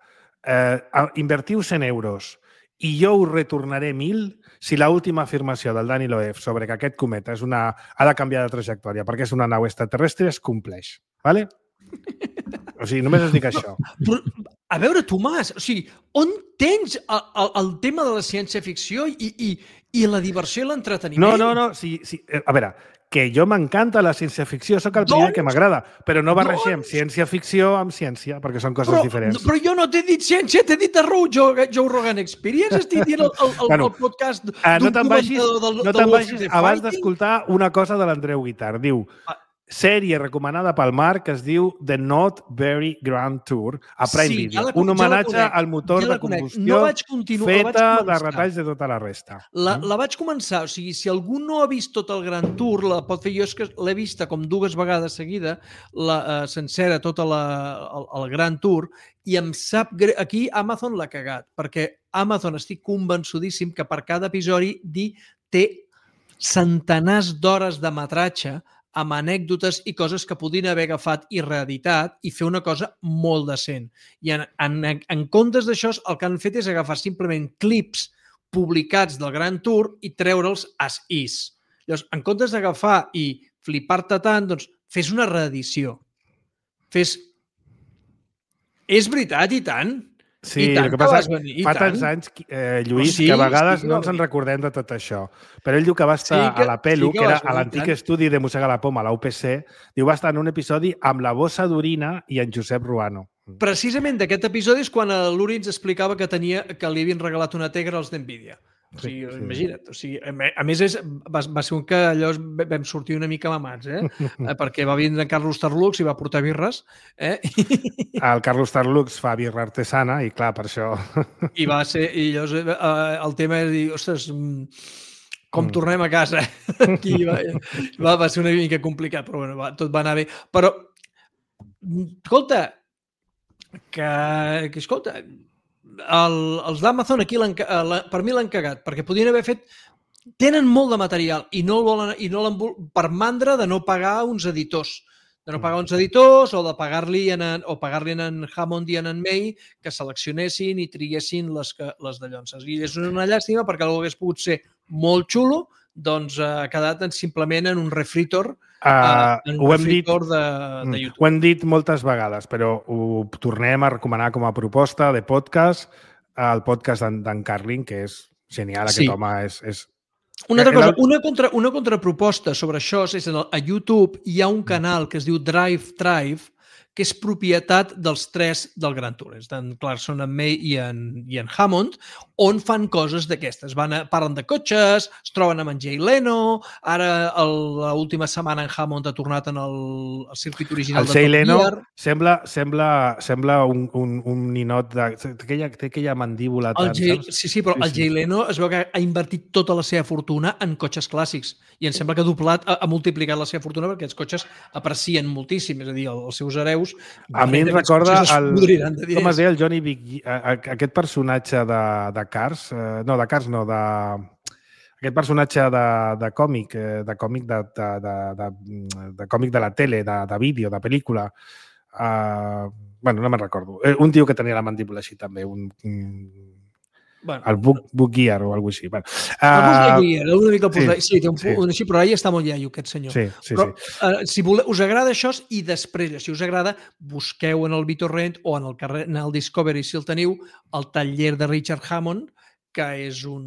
eh, invertiu cent euros i jo us retornaré mil si l'última afirmació del Dani Loeb sobre que aquest cometa és una, ha de canviar de trajectòria perquè és una nau extraterrestre es compleix. Vale? O sigui, només us dic això. Però, a veure, Tomàs, o sigui, on tens el, el, el tema de la ciència-ficció i, i, i la diversió i l'entreteniment? No, no, no. Sí, sí. A veure, que jo m'encanta la ciència-ficció, sóc el primer doncs, que m'agrada, però no barregem doncs, ciència-ficció amb ciència, perquè són coses però, diferents. Però jo no t'he dit ciència, t'he dit The Joe, Joe Rogan Experience, estic dient el, el, el, bueno, el podcast uh, no te'n vagis, del, no te'n vagis abans d'escoltar una cosa de l'Andreu Guitar. Diu... Ah. Sèrie recomanada pel Marc que es diu The Not Very Grand Tour a Prime sí, Video. Ja un homenatge ja al motor ja de combustió no feta de retalls de tota la resta. La, la vaig començar, o sigui, si algú no ha vist tot el Grand Tour, la pot fer. Jo és que l'he vista com dues vegades seguida, la uh, sencera, tota la, el, el Grand Tour, i em sap greu. Aquí Amazon l'ha cagat, perquè Amazon estic convençudíssim que per cada episodi té centenars d'hores de metratge amb anècdotes i coses que podien haver agafat i reeditat i fer una cosa molt decent. I en, en, en comptes d'això, el que han fet és agafar simplement clips publicats del Grand Tour i treure'ls as is. Llavors, en comptes d'agafar i flipar-te tant, doncs fes una reedició. Fes... És veritat, i tant. Sí, el que passa és que fa tants anys, eh, Lluís, sí, que a vegades sí, no ens en recordem de tot això. Però ell diu que va estar sí que, a la Pelu, sí que, que era a l'antic estudi de Mossega la Poma, a la U P C, diu va estar en un episodi amb la bossa d'orina i en Josep Ruano. Precisament d'aquest episodi és quan l'Uri ens explicava que tenia que li havien regalat una Tegra als d'Nvidia. O sigui, sí, sí. Imagina't. O sigui, a més, és, va, va ser un que allò vam sortir una mica mamats, eh? Perquè va vindre en Carlos Tarlux i va portar birres. Eh? El Carlos Tarlux fa birra artesana i, clar, per això... I va ser... I llavors, eh, el tema és dir, ostres, com mm. tornem a casa? Aquí va, va, va ser una mica complicat, però bueno, va, tot va anar bé. Però, escolta, que, que escolta... El, els d'Amazon aquí per mi l'han cagat, perquè podien haver fet tenen molt de material i no el volen, i no per mandra de no pagar uns editors de no pagar uns editors o de pagar-li en, o pagar-li en Hammond i en May que seleccionessin i triguessin les, les de llonses. I és una llàstima perquè algú hagués pogut ser molt xulo, doncs ha quedat simplement en un refritor Uh, en un refritor de, de YouTube. Ho hem dit moltes vegades, però ho tornem a recomanar com a proposta de podcast, el podcast d'en Carlin, que és genial, aquest sí. home és... és... Una altra cosa, una, contra, una contraproposta sobre això és que a YouTube hi ha un canal que es diu Drive Tribe, que és propietat dels tres del Grand Tour, és d'en Clarkson, en May i en, i en Hammond, on fan coses d'aquestes. Van a, parlen de cotxes, es troben amb en Jay Leno, ara l'última setmana en Hammond ha tornat en el, el circuit original el de Top Gear. El Jay Leno sembla, sembla, sembla un, un, un ninot de... Té aquella, té aquella mandíbula el tant, Jay, saps? Sí, sí, però sí, el Jay Leno es veu que ha invertit tota la seva fortuna en cotxes clàssics i em sembla que ha doblat, ha, ha multiplicat la seva fortuna perquè els cotxes aprecien moltíssim, és a dir, els seus hereus... A mi em recorda el, de com es deia el Johnny Big, aquest personatge de, de Cars, eh, no, de Cars no, de, aquest personatge de, de còmic, de còmic de, de, de, de, de còmic de la tele, de, de vídeo, de pel·lícula. Uh, bueno, no me'n recordo. Un tio que tenia la mandíbula així també, un... un Bueno, el Book, book Gear o alguna cosa així. Bueno, uh, el Book Gear, una mica el sí, sí, té un, sí. un així, però ahí està molt iaio, aquest senyor. Sí, sí, però, sí. Uh, si vole, us agrada això i després, si us agrada, busqueu en el BitTorrent o en el, carrer, en el Discovery, si el teniu, el taller de Richard Hammond, que és un...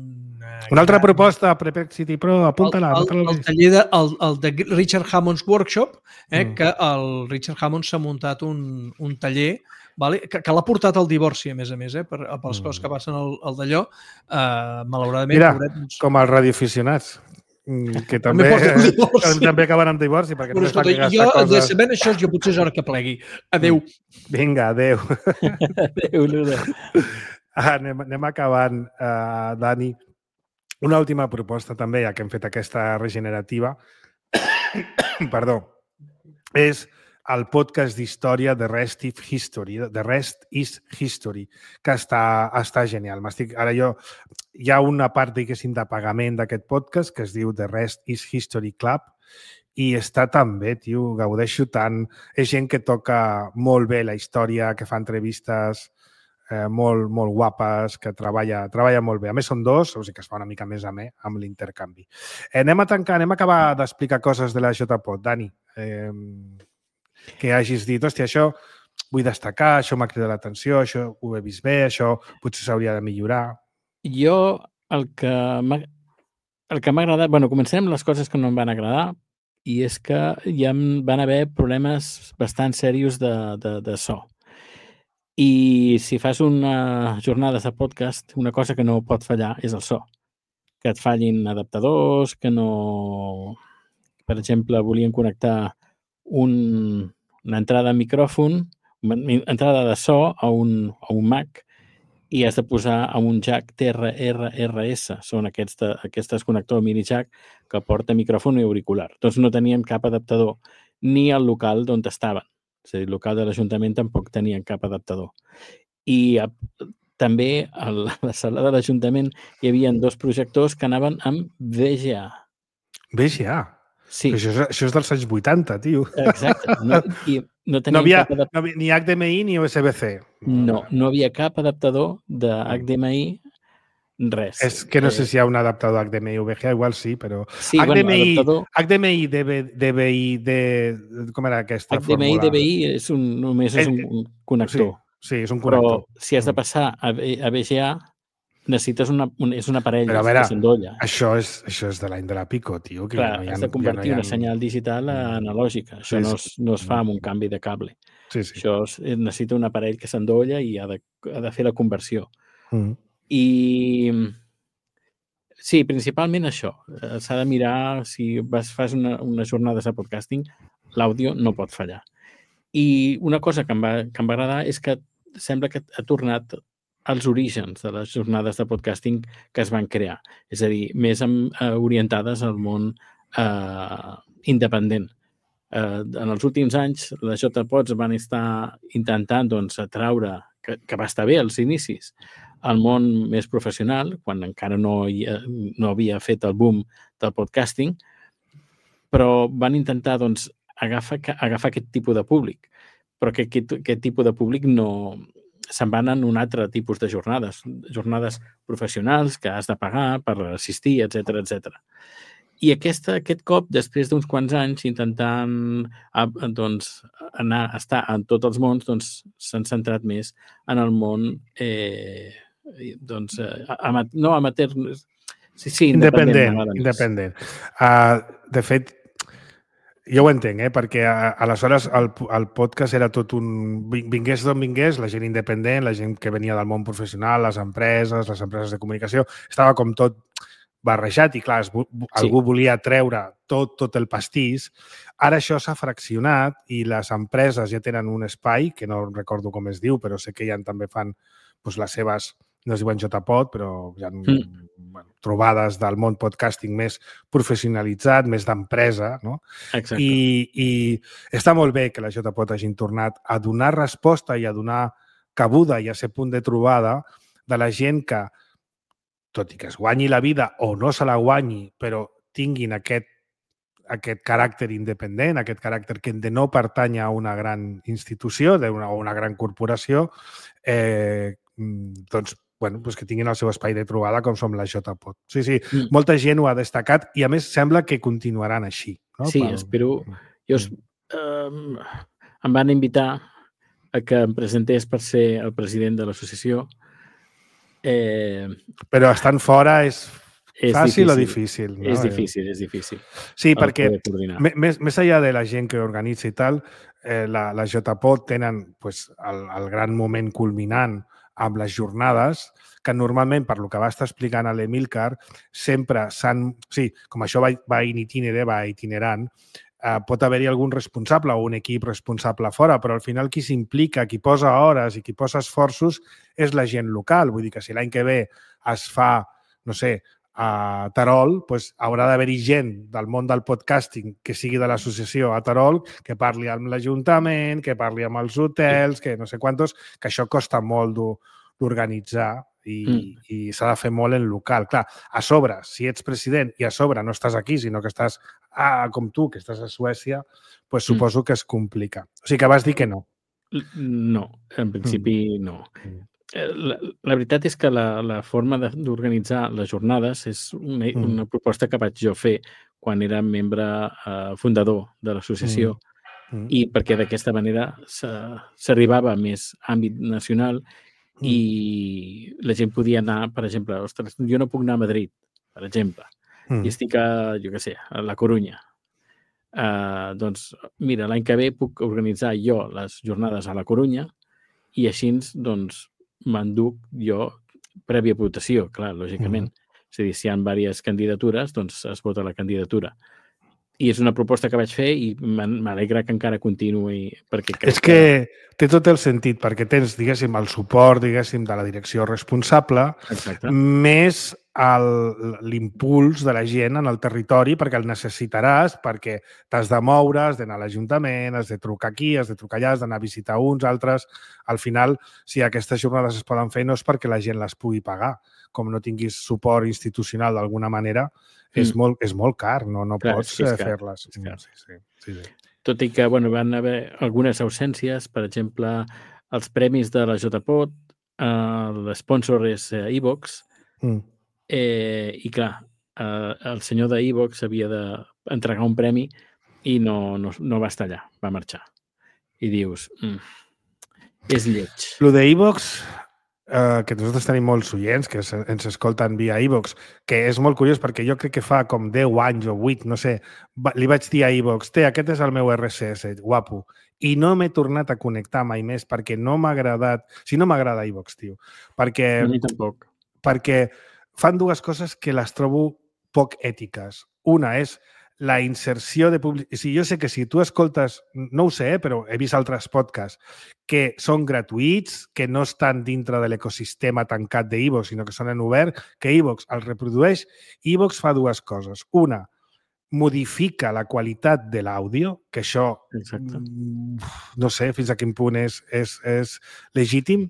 Una altra gran... proposta, Perplexity Pro, apunta-la. El, el, el taller de, el, el de Richard Hammond's Workshop, eh, mm. que el Richard Hammond s'ha muntat un, un taller vale? que, que l'ha portat al divorci, a més a més, eh, per, pels mm. coses que passen al, al d'allò. Uh, malauradament... Mira, pobret, com els radioaficionats, que també, també acaben amb divorci. Perquè bueno, escolta, jo, coses... de sabent això, jo potser és hora que plegui. Adéu. Vinga, adéu. Adéu, Luda. Ah, anem, anem acabant, uh, Dani. Una última proposta també, ja que hem fet aquesta regenerativa, perdó, és el podcast d'història The Rest is History, The Rest is History, que està, està genial. Ara jo, hi ha una part, diguéssim, de pagament d'aquest podcast que es diu The Rest is History Club i està tan bé, tio, gaudeixo tant. És gent que toca molt bé la història, que fa entrevistes eh, molt, molt guapes, que treballa, treballa molt bé. A més, són dos, o sigui que es fa una mica més amè amb l'intercanvi. Eh, anem a tancar, anem a acabar d'explicar coses de la JPod. Dani, eh, que hagis dit, hòstia, això vull destacar, això m'ha cridat l'atenció, això ho he vist bé, això potser s'hauria de millorar. Jo, el que m'ha el que m'ha agradat... Bueno, comencem les coses que no em van agradar i és que ja van haver problemes bastant serios de, de, de so. I si fas una jornada de podcast, una cosa que no pot fallar és el so. Que et fallin adaptadors, que no... Per exemple, volien connectar un, una entrada de micròfon, una entrada de so a un, a un Mac i has de posar a un jack T R R R S. Són aquests, de, aquests connectors mini jack que porta micròfon i auricular. Doncs no tenien cap adaptador, ni al local d'on estaven. És a dir, el local de l'Ajuntament tampoc tenien cap adaptador. I a, també a la sala de l'Ajuntament hi havia dos projectors que anaven amb V G A. V G A? Sí. Això és, això és dels anys vuitanta, tio. Exacte. No, i no, no, havia, cap no havia ni H D M I ni U S B C. No, no havia cap adaptador de H D M I, res. És que no sé si hi ha un adaptador H D M I U V G A, igual sí, però... Sí, H D M I, bueno, adaptador... H D M I, D V I, D... com era aquesta H D M I, fórmula? D V I és un, només és un connector. Sí, sí, és un connector. Però si has de passar a, a V G A, necessites una, un, és un aparell però a veure, que s'endolla. Això és, això és de l'any de la Pico, tio. Que Clar, ja no has ha, de convertir ja no una senyal digital a analògica. Això sí, no, es, no es fa amb un canvi de cable. Sí, sí. Això es, necessita un aparell que s'endolla i ha de, ha de fer la conversió. Mm. I sí, principalment això. S'ha de mirar, si vas, fas una, una jornada de podcasting, l'àudio no pot fallar. I una cosa que em, va, que em va agradar és que sembla que ha tornat als orígens de les jornades de podcasting que es van crear. És a dir, més amb, eh, orientades al món eh, independent. Eh, en els últims anys, les JPods van estar intentant doncs, atraure, que, que va estar bé als inicis, al món més professional, quan encara no, hi, no havia fet el boom del podcasting, però van intentar doncs, agafar, agafar aquest tipus de públic. Però que aquest, aquest tipus de públic no... se'n van en un altre tipus de jornades, jornades professionals que has de pagar per assistir, etcètera, etcètera. I aquesta, aquest cop, després d'uns quants anys intentant doncs, anar a estar en tots els mons, doncs, s'han centrat més en el món eh, doncs, amat, no amateur, sí, sí, independent. Independent. independent. Uh, de fet, Jo ho entenc, eh? Perquè aleshores el, el podcast era tot un... Vingués d'on vingués, la gent independent, la gent que venia del món professional, les empreses, les empreses de comunicació, estava com tot barrejat i, clar, es, algú sí. volia treure tot, tot el pastís. Ara això s'ha fraccionat i les empreses ja tenen un espai, que no recordo com es diu, però sé que ja també fan doncs, les seves... no es diuen JPod, però hi ha mm. bueno, trobades del món podcasting més professionalitzat, més d'empresa, no? Exacte. I, I està molt bé que la JPod hagin tornat a donar resposta i a donar cabuda i a ser punt de trobada de la gent que, tot i que es guanyi la vida o no se la guanyi, però tinguin aquest, aquest caràcter independent, aquest caràcter que de no pertany a una gran institució o una, una gran corporació, eh, doncs bueno, doncs que tinguin el seu espai de trobada com som la JPod. Sí, sí, mm. molta gent ho ha destacat i a més sembla que continuaran així. No? Sí, Pel... espero... Jo es, um, em van invitar a que em presentés per ser el president de l'associació. Eh... Però estant fora és, és fàcil difícil. o difícil? No? És difícil, és difícil. Sí, perquè més, més enllà de la gent que organitza i tal, eh, la, la JPod tenen pues, el, el gran moment culminant amb les jornades, que normalment, per lo que va estar explicant a l'Emilcar, sempre s'han... Sí, com això va, va in itinere, va itinerant, eh, pot haver-hi algun responsable o un equip responsable fora, però al final qui s'implica, qui posa hores i qui posa esforços és la gent local. Vull dir que si l'any que ve es fa, no sé, a Terol, doncs haurà d'haver-hi gent del món del podcasting que sigui de l'associació a Terol, que parli amb l'Ajuntament, que parli amb els hotels, que no sé quantos, que això costa molt d'organitzar i, mm. i s'ha de fer molt en local. Clar, a sobre, si ets president i a sobre no estàs aquí, sinó que estàs ah, com tu, que estàs a Suècia, doncs suposo mm. que es complica. O sigui que vas dir que no. No, en principi no. Mm. La, la veritat és que la, la forma d'organitzar les jornades és una, mm. una proposta que vaig jo fer quan era membre eh, fundador de l'associació mm. Mm. i perquè d'aquesta manera s'arribava a més àmbit nacional mm. i la gent podia anar, per exemple, ostres, jo no puc anar a Madrid, per exemple, mm. i estic a, jo què sé, a la Corunya. Uh, doncs, mira, l'any que ve puc organitzar jo les jornades a la Corunya i així, doncs, m'enduc jo prèvia votació, clar, lògicament. Mm. És a dir, si hi ha diverses candidatures, doncs es vota la candidatura. I és una proposta que vaig fer i m'alegra que encara continuï. Perquè crec és que, que té tot el sentit, perquè tens, diguéssim, el suport, diguéssim, de la direcció responsable, exacte, més l'impuls de la gent en el territori, perquè el necessitaràs, perquè t'has de moure, has d'anar a l'Ajuntament, has de trucar aquí, has de trucar allà, has d'anar a visitar uns, altres. Al final, si aquestes jornades es poden fer, no és perquè la gent les pugui pagar. Com no tinguis suport institucional d'alguna manera, mm. és, molt, és molt car, no, no Clar, pots fer-les. Sí, sí, sí, sí. Tot i que bueno, van haver algunes ausències, per exemple, els premis de la JPod, eh, l'esponsor és iVox, mm. eh, i clar, eh, el senyor d'iVox havia d'entregar un premi i no, no, no va estar allà, va marxar. I dius, mm, és lleig. Lo d'iVox... Uh, que nosaltres tenim molts oients que ens escolten via iVox, que és molt curiós perquè jo crec que fa com deu anys o vuit, no sé, li vaig dir a iVox, té, aquest és el meu erre esse esse, guapo, i no m'he tornat a connectar mai més perquè no m'ha agradat, si no m'agrada iVox, tio, perquè, a mi tampoc. perquè fan dues coses que les trobo poc ètiques. Una és la inserció de publicitat. Si jo sé que si tu escoltes, no ho sé, eh, però he vist altres podcasts que són gratuïts, que no estan dintre de l'ecosistema tancat d'iVox, sinó que són en obert, que iVox els reprodueix. iVox fa dues coses. Una, modifica la qualitat de l'àudio, que això Exacte. no sé fins a quin punt és, és, és legítim,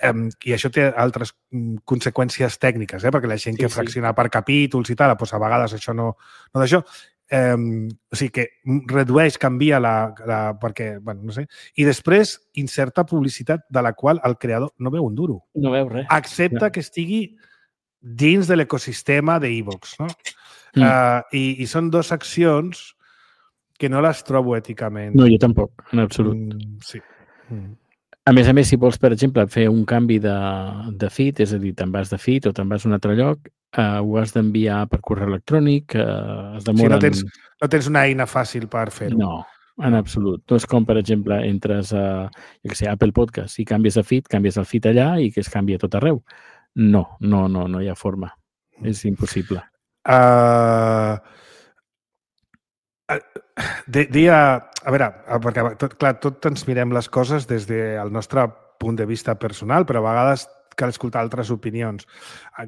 um, i això té altres um, conseqüències tècniques, eh? Perquè la gent sí, que fracciona sí. per capítols i tal, doncs a vegades això no, no d'això. Um, o sigui que redueix, canvia la, la... perquè, bueno, no sé. I després inserta publicitat de la qual el creador no veu un duro. No veu res. Accepta no. que estigui dins de l'ecosistema d'iVox, no? Mm. Uh, i, I són dues accions que no les trobo èticament. No, jo tampoc, en absolut. Mm, sí. Mm. A més a més, si vols, per exemple, fer un canvi de, de feed, és a dir, te'n vas de feed o te'n vas a un altre lloc, uh, ho has d'enviar per correu electrònic, uh, es demoren... Sí, no tens, no tens una eina fàcil per fer-ho. No, en absolut. No és com, per exemple, entres a jo què sé, Apple Podcast i canvies de feed, canvies el feed allà i que es canvia tot arreu. No, no, no, no hi ha forma. És impossible. Uh, dia, a veure, perquè tot, clar, tot ens mirem les coses des del nostre punt de vista personal, però a vegades cal escoltar altres opinions.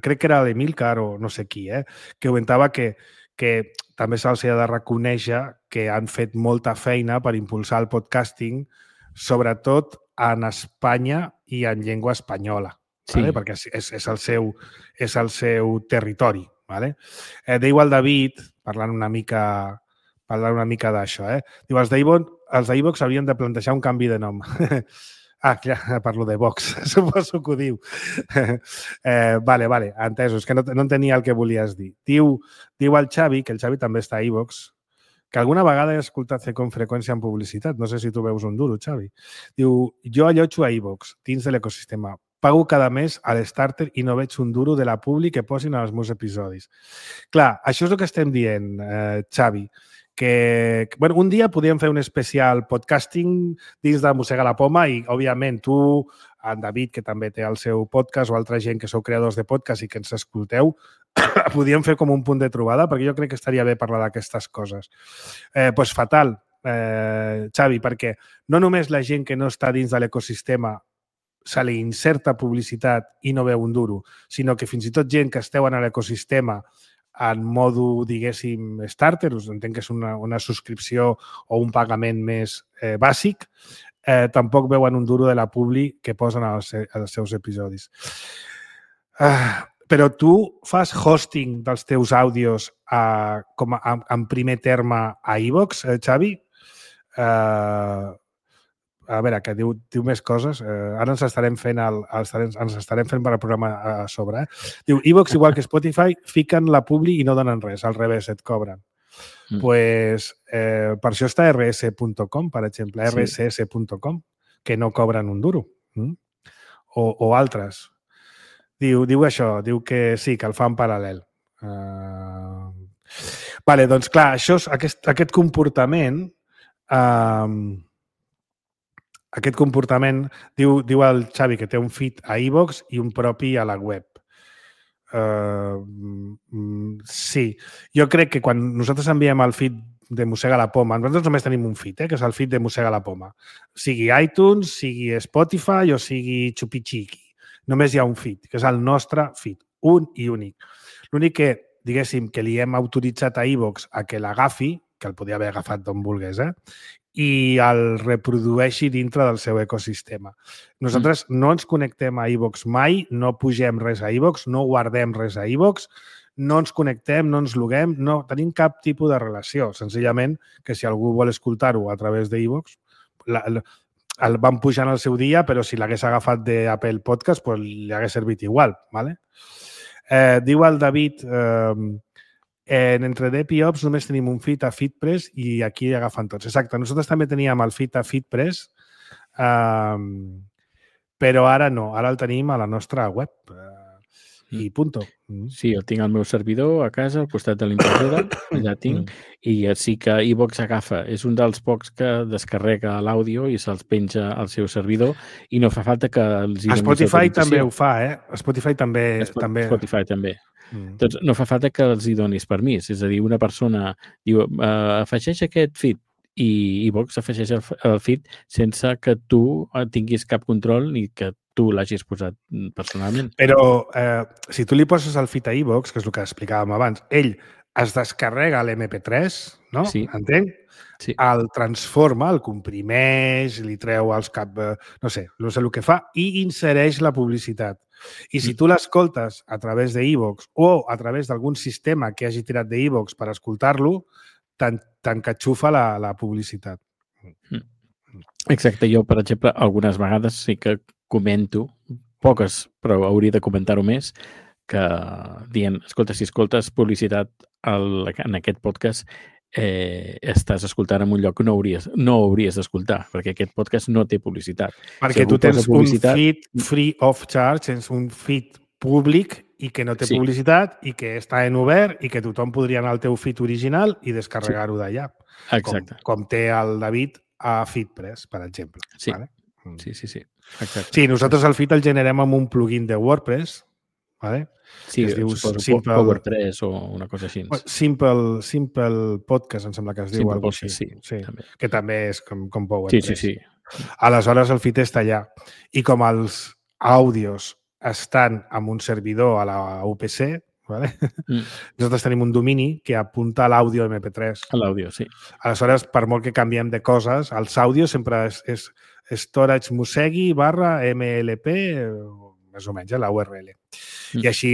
Crec que era l'Emilcar o no sé qui, eh, que comentava que, que també se'ls ha de reconèixer que han fet molta feina per impulsar el podcasting, sobretot en Espanya i en llengua espanyola, sí. Vale? Perquè és, és, el seu, és el seu territori. Vale? Eh, diu el David, parlant una mica, parlant una mica d'això, eh? Diu, els d'iVox haurien de plantejar un canvi de nom. Ah, ja parlo de Vox, suposo que ho diu. Eh, vale, vale, entesos, que no, no entenia el que volies dir. Diu, diu el Xavi, que el Xavi també està a iVox, que alguna vegada he escoltat fer com freqüència en publicitat. No sé si tu veus un duro, Xavi. Diu, jo allotjo a iVox, dins de l'ecosistema. Pago cada mes a l'Starter i no veig un duro de la publi que posin als meus episodis. Clar, això és el que estem dient, eh, Xavi, que bueno, un dia podríem fer un especial podcasting dins de Mossega la Poma i, òbviament, tu, en David, que també té el seu podcast, o altra gent que sou creadors de podcast i que ens escolteu, podríem fer com un punt de trobada, perquè jo crec que estaria bé parlar d'aquestes coses. Eh, doncs fatal, eh, Xavi, perquè no només la gent que no està dins de l'ecosistema se li inserta publicitat i no veu un duro, sinó que fins i tot gent que esteu en l'ecosistema en modo, diguéssim, starter, us entenc que és una, una subscripció o un pagament més eh, bàsic, eh, tampoc veuen un duro de la publi que posen als, als seus episodis. Ah, però tu fas hosting dels teus àudios a, com a, en primer terme a iVox, eh, Xavi? Eh, a veure, que diu, diu més coses. Eh, ara ens estarem fent el, els, ens estarem fent per al programa a sobre. Eh? Diu, iVox, igual que Spotify, fiquen la publi i no donen res, al revés, et cobren. Mm. Pues, eh, per això està erre esse punt com, per exemple, erre esse esse punt com, que no cobren un duro. Mm? O, o altres. Diu, diu això, diu que sí, que el fan paral·lel. Uh... Vale, doncs clar, això, aquest, aquest comportament... Uh... Aquest comportament, diu, diu el Xavi que té un feed a iVox i un propi a la web. Uh, sí. Jo crec que quan nosaltres enviem el feed de Mossega la Poma, nosaltres només tenim un feed, eh, que és el feed de Mossega la Poma. Sigui iTunes, sigui Spotify o sigui Chupichiqui. Només hi ha un feed, que és el nostre feed, un i únic. L'únic que, diguéssim, que li hem autoritzat a iVox a que l'agafi, que el podia haver agafat d'on volgués, eh? I el reprodueixi dintre del seu ecosistema. Nosaltres mm. no ens connectem a iVox mai, no pugem res a iVox, no guardem res a iVox, no ens connectem, no ens loguem, no tenim cap tipus de relació. Senzillament que si algú vol escoltar-ho a través d'iVox, el van pujar en el seu dia, però si l'hagués agafat d'Apple Podcast, pues li hagués servit igual. ¿Vale? Eh, diu el David... Eh, En EntreDep i Ops només tenim un feed a FeedPress i aquí agafen tots. Exacte, nosaltres també teníem el feed a FeedPress, um, però ara no, ara el tenim a la nostra web uh, i punto. Mm. Sí, el tinc al meu servidor a casa, al costat de l'impressora, allà tinc, mm. i sí que iVox agafa. És un dels pocs que descarrega l'àudio i se'ls penja al seu servidor i no fa falta que els... Spotify també ho fa, eh? Spotify també... Spotify també... Spotify també. Mm. Doncs no fa falta que els hi donis permís. És a dir, una persona diu uh, afegeix aquest feed i iVox afegeix el, el feed sense que tu tinguis cap control ni que tu l'hagis posat personalment. Però eh, si tu li poses el feed a iVox, que és el que explicàvem abans, ell es descarrega l'eme pe tres, no? Sí. Entenc? Sí. El transforma, el comprimeix, li treu els cap... No sé, no sé el que fa, i insereix la publicitat. I si tu l'escoltes a través d'iVox o a través d'algun sistema que hagi tirat d'iVox per escoltar-lo, t'encatxufa la, la publicitat. Exacte. Jo, per exemple, algunes vegades sí que comento, poques, però hauria de comentar-ho més, que dient, escolta, si escoltes publicitat al, en aquest podcast, eh, estàs escoltant en un lloc que no hauries, no hauries d'escoltar, perquè aquest podcast no té publicitat. Perquè si tu tens publicitat... un feed free of charge, tens un feed públic i que no té Sí. publicitat i que està en obert i que tothom podria anar al teu feed original i descarregar-ho d'allà. Exacte. Com, com té el David a FeedPress, per exemple. Sí. Vale? Sí, sí, sí. Exacte. Sí, nosaltres el feed el generem amb un plugin de WordPress, vale? Sí, que es diu suposo Simple- Power tres o una cosa així. Simple, Simple Podcast, em sembla que es diu. Simple Algo Podcast, així. sí, sí. també. Que també és com, com Sí, PowerPress. sí, sí. Aleshores, el feed està allà. I com els àudios estan amb un servidor a la U P C, ¿vale? Mm. nosaltres tenim un domini que apunta a l'àudio eme pe tres. A l'àudio, sí. Aleshores, per molt que canviem de coses, els àudios sempre és, és storage musegui barra mlp, més o menys, eh, la U R L. Mm. I així,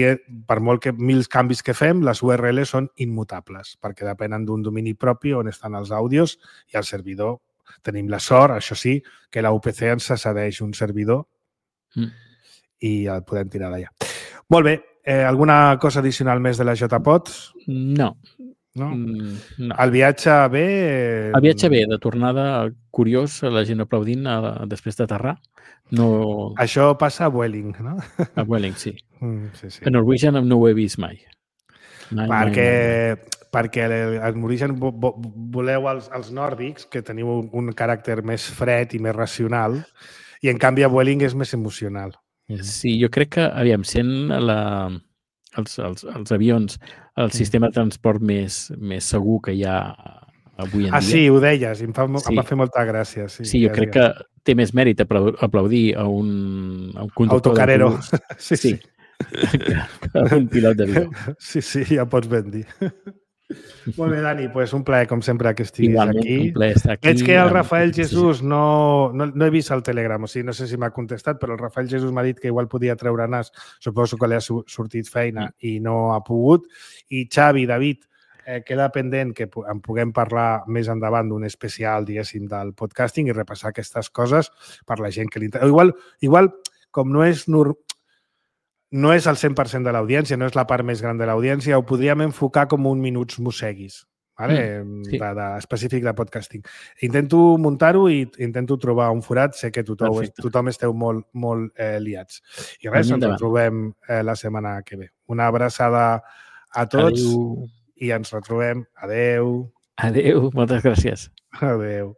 per molt que mil canvis que fem, les U R L són immutables, perquè depenen d'un domini propi on estan els àudios i el servidor. Tenim la sort, això sí, que la U P C ens cedeix un servidor Mm. i el podem tirar d'allà. Molt bé. Eh, alguna cosa addicional més de la JPod? No. No? Mm, no. El viatge bé... Eh... El viatge bé, de tornada curiós, la gent aplaudint a, després d'aterrar. No... Això passa a Vueling, no? A Vueling, sí. Mm, sí, sí. A Norwegian no ho he vist mai. mai perquè mai, mai. perquè el Norwegian vo, vo, voleu els, els nòrdics, que teniu un, un caràcter més fred i més racional, i en canvi a Vueling és més emocional. Sí, jo crec que, aviam, sent la, els, els, els avions el sistema de transport més, més segur que hi ha avui en ah, dia. sí, ho deies, i em, fa, Sí. em va fer molta gràcia. Sí, Sí, jo ja crec digues. que té més mèrit aplau- aplaudir a un, a un conductor Autocarero. d'autobús. Sí, sí. que a un pilot d'avió. Sí, sí, ja pots ben dir. Molt bé, Dani, pues un plaer, com sempre, que estiguis Igualment, aquí. un plaer estar aquí. Veig que el amb- Rafael Jesús no, no, no he vist el Telegram, o sigui, no sé si m'ha contestat, però el Rafael Jesús m'ha dit que igual podia treure nas, suposo que li ha su- sortit feina Mm. i no ha pogut. I Xavi, David, eh, queda pendent que pu- en puguem parlar més endavant d'un especial, diguéssim, del podcasting i repassar aquestes coses per la gent que li interessa. Igual, igual, com no és nur... no és el cent per cent de l'audiència, no és la part més gran de l'audiència, ho podríem enfocar com un minuts musseguis, vale? Mm, sí. de, de, específic de podcasting. Intento muntar-ho i intento trobar un forat. Sé que tothom, Perfecte. tothom esteu molt, molt eh, liats. I res, ens Endavant. retrobem eh, la setmana que ve. Una abraçada a tots Adéu. i ens retrobem. Adeu. Adéu, moltes gràcies. Adeu.